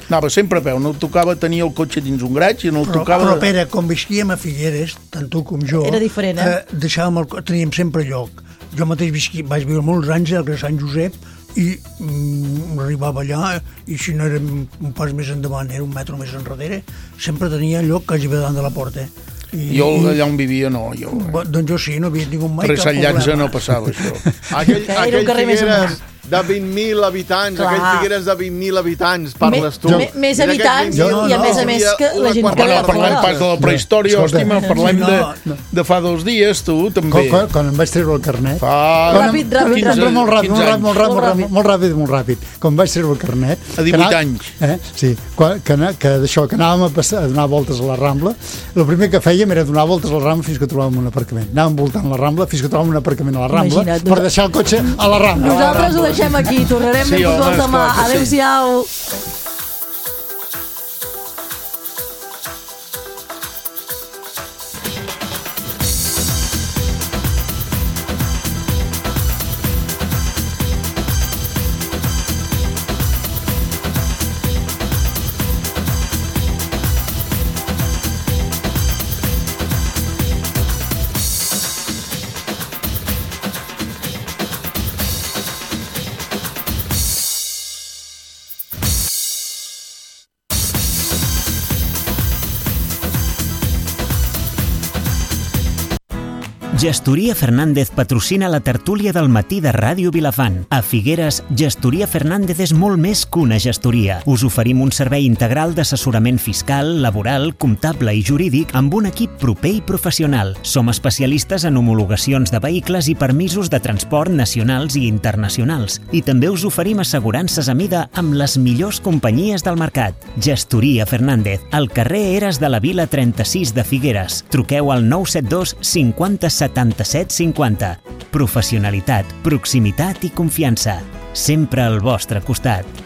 S4: Anava sempre a peu, no tocava tenir el cotxe dins un graig i no el
S6: però,
S4: tocava...
S6: Però, Pere, quan visquíem a Figueres, tant tu com jo...
S3: Era diferent, eh?
S6: eh deixàvem el, teníem sempre lloc. Jo mateix visqui, vaig viure molts anys al carrer Sant Josep i mm, arribava allà i si no era un pas més endavant, era un metro més enrere, sempre tenia lloc quasi bé davant de la porta.
S4: I, jo allà on vivia no, jo...
S6: Eh. Doncs jo sí, no havia tingut mai
S4: cap problema. Per Sant Llança no passava això.
S1: Aquell, aquell Figueres de vint mil habitants,
S3: clar.
S1: aquell Figueres de vint mil habitants, parles tu.
S3: Me, més habitants
S1: jo,
S3: i a més a més que la gent que
S4: no parlem pas de la prehistòria, hòstima, parlem de, de fa dos dies, tu, també.
S5: Quan, quan em vaig treure el carnet...
S4: Fa...
S3: Ràpid, ràpid,
S5: ràpid, molt ràpid, molt ràpid, molt ràpid, molt ràpid, molt ràpid. Quan vaig treure el carnet...
S4: A divuit anys.
S5: Eh, sí, quan, que, que d'això, que anàvem a, passar, a donar voltes a la Rambla, el primer que fèiem era donar voltes a la Rambla fins que trobàvem un aparcament. Anàvem voltant la Rambla fins que trobàvem un aparcament a la Rambla Imagina't, per deixar el cotxe a la Rambla.
S3: Nosaltres ho deixem aquí, tornarem sí, de futbol demà. Adéu-siau.
S2: Gestoria Fernández patrocina la tertúlia del matí de Ràdio Vilafant. A Figueres, Gestoria Fernández és molt més que una gestoria. Us oferim un servei integral d'assessorament fiscal, laboral, comptable i jurídic amb un equip proper i professional. Som especialistes en homologacions de vehicles i permisos de transport nacionals i internacionals. I també us oferim assegurances a mida amb les millors companyies del mercat. Gestoria Fernández, al carrer Eres de la Vila trenta-sis de Figueres. Truqueu al nou set dos cinquanta setanta-set cinquanta. Professionalitat, proximitat i confiança. Sempre al vostre costat.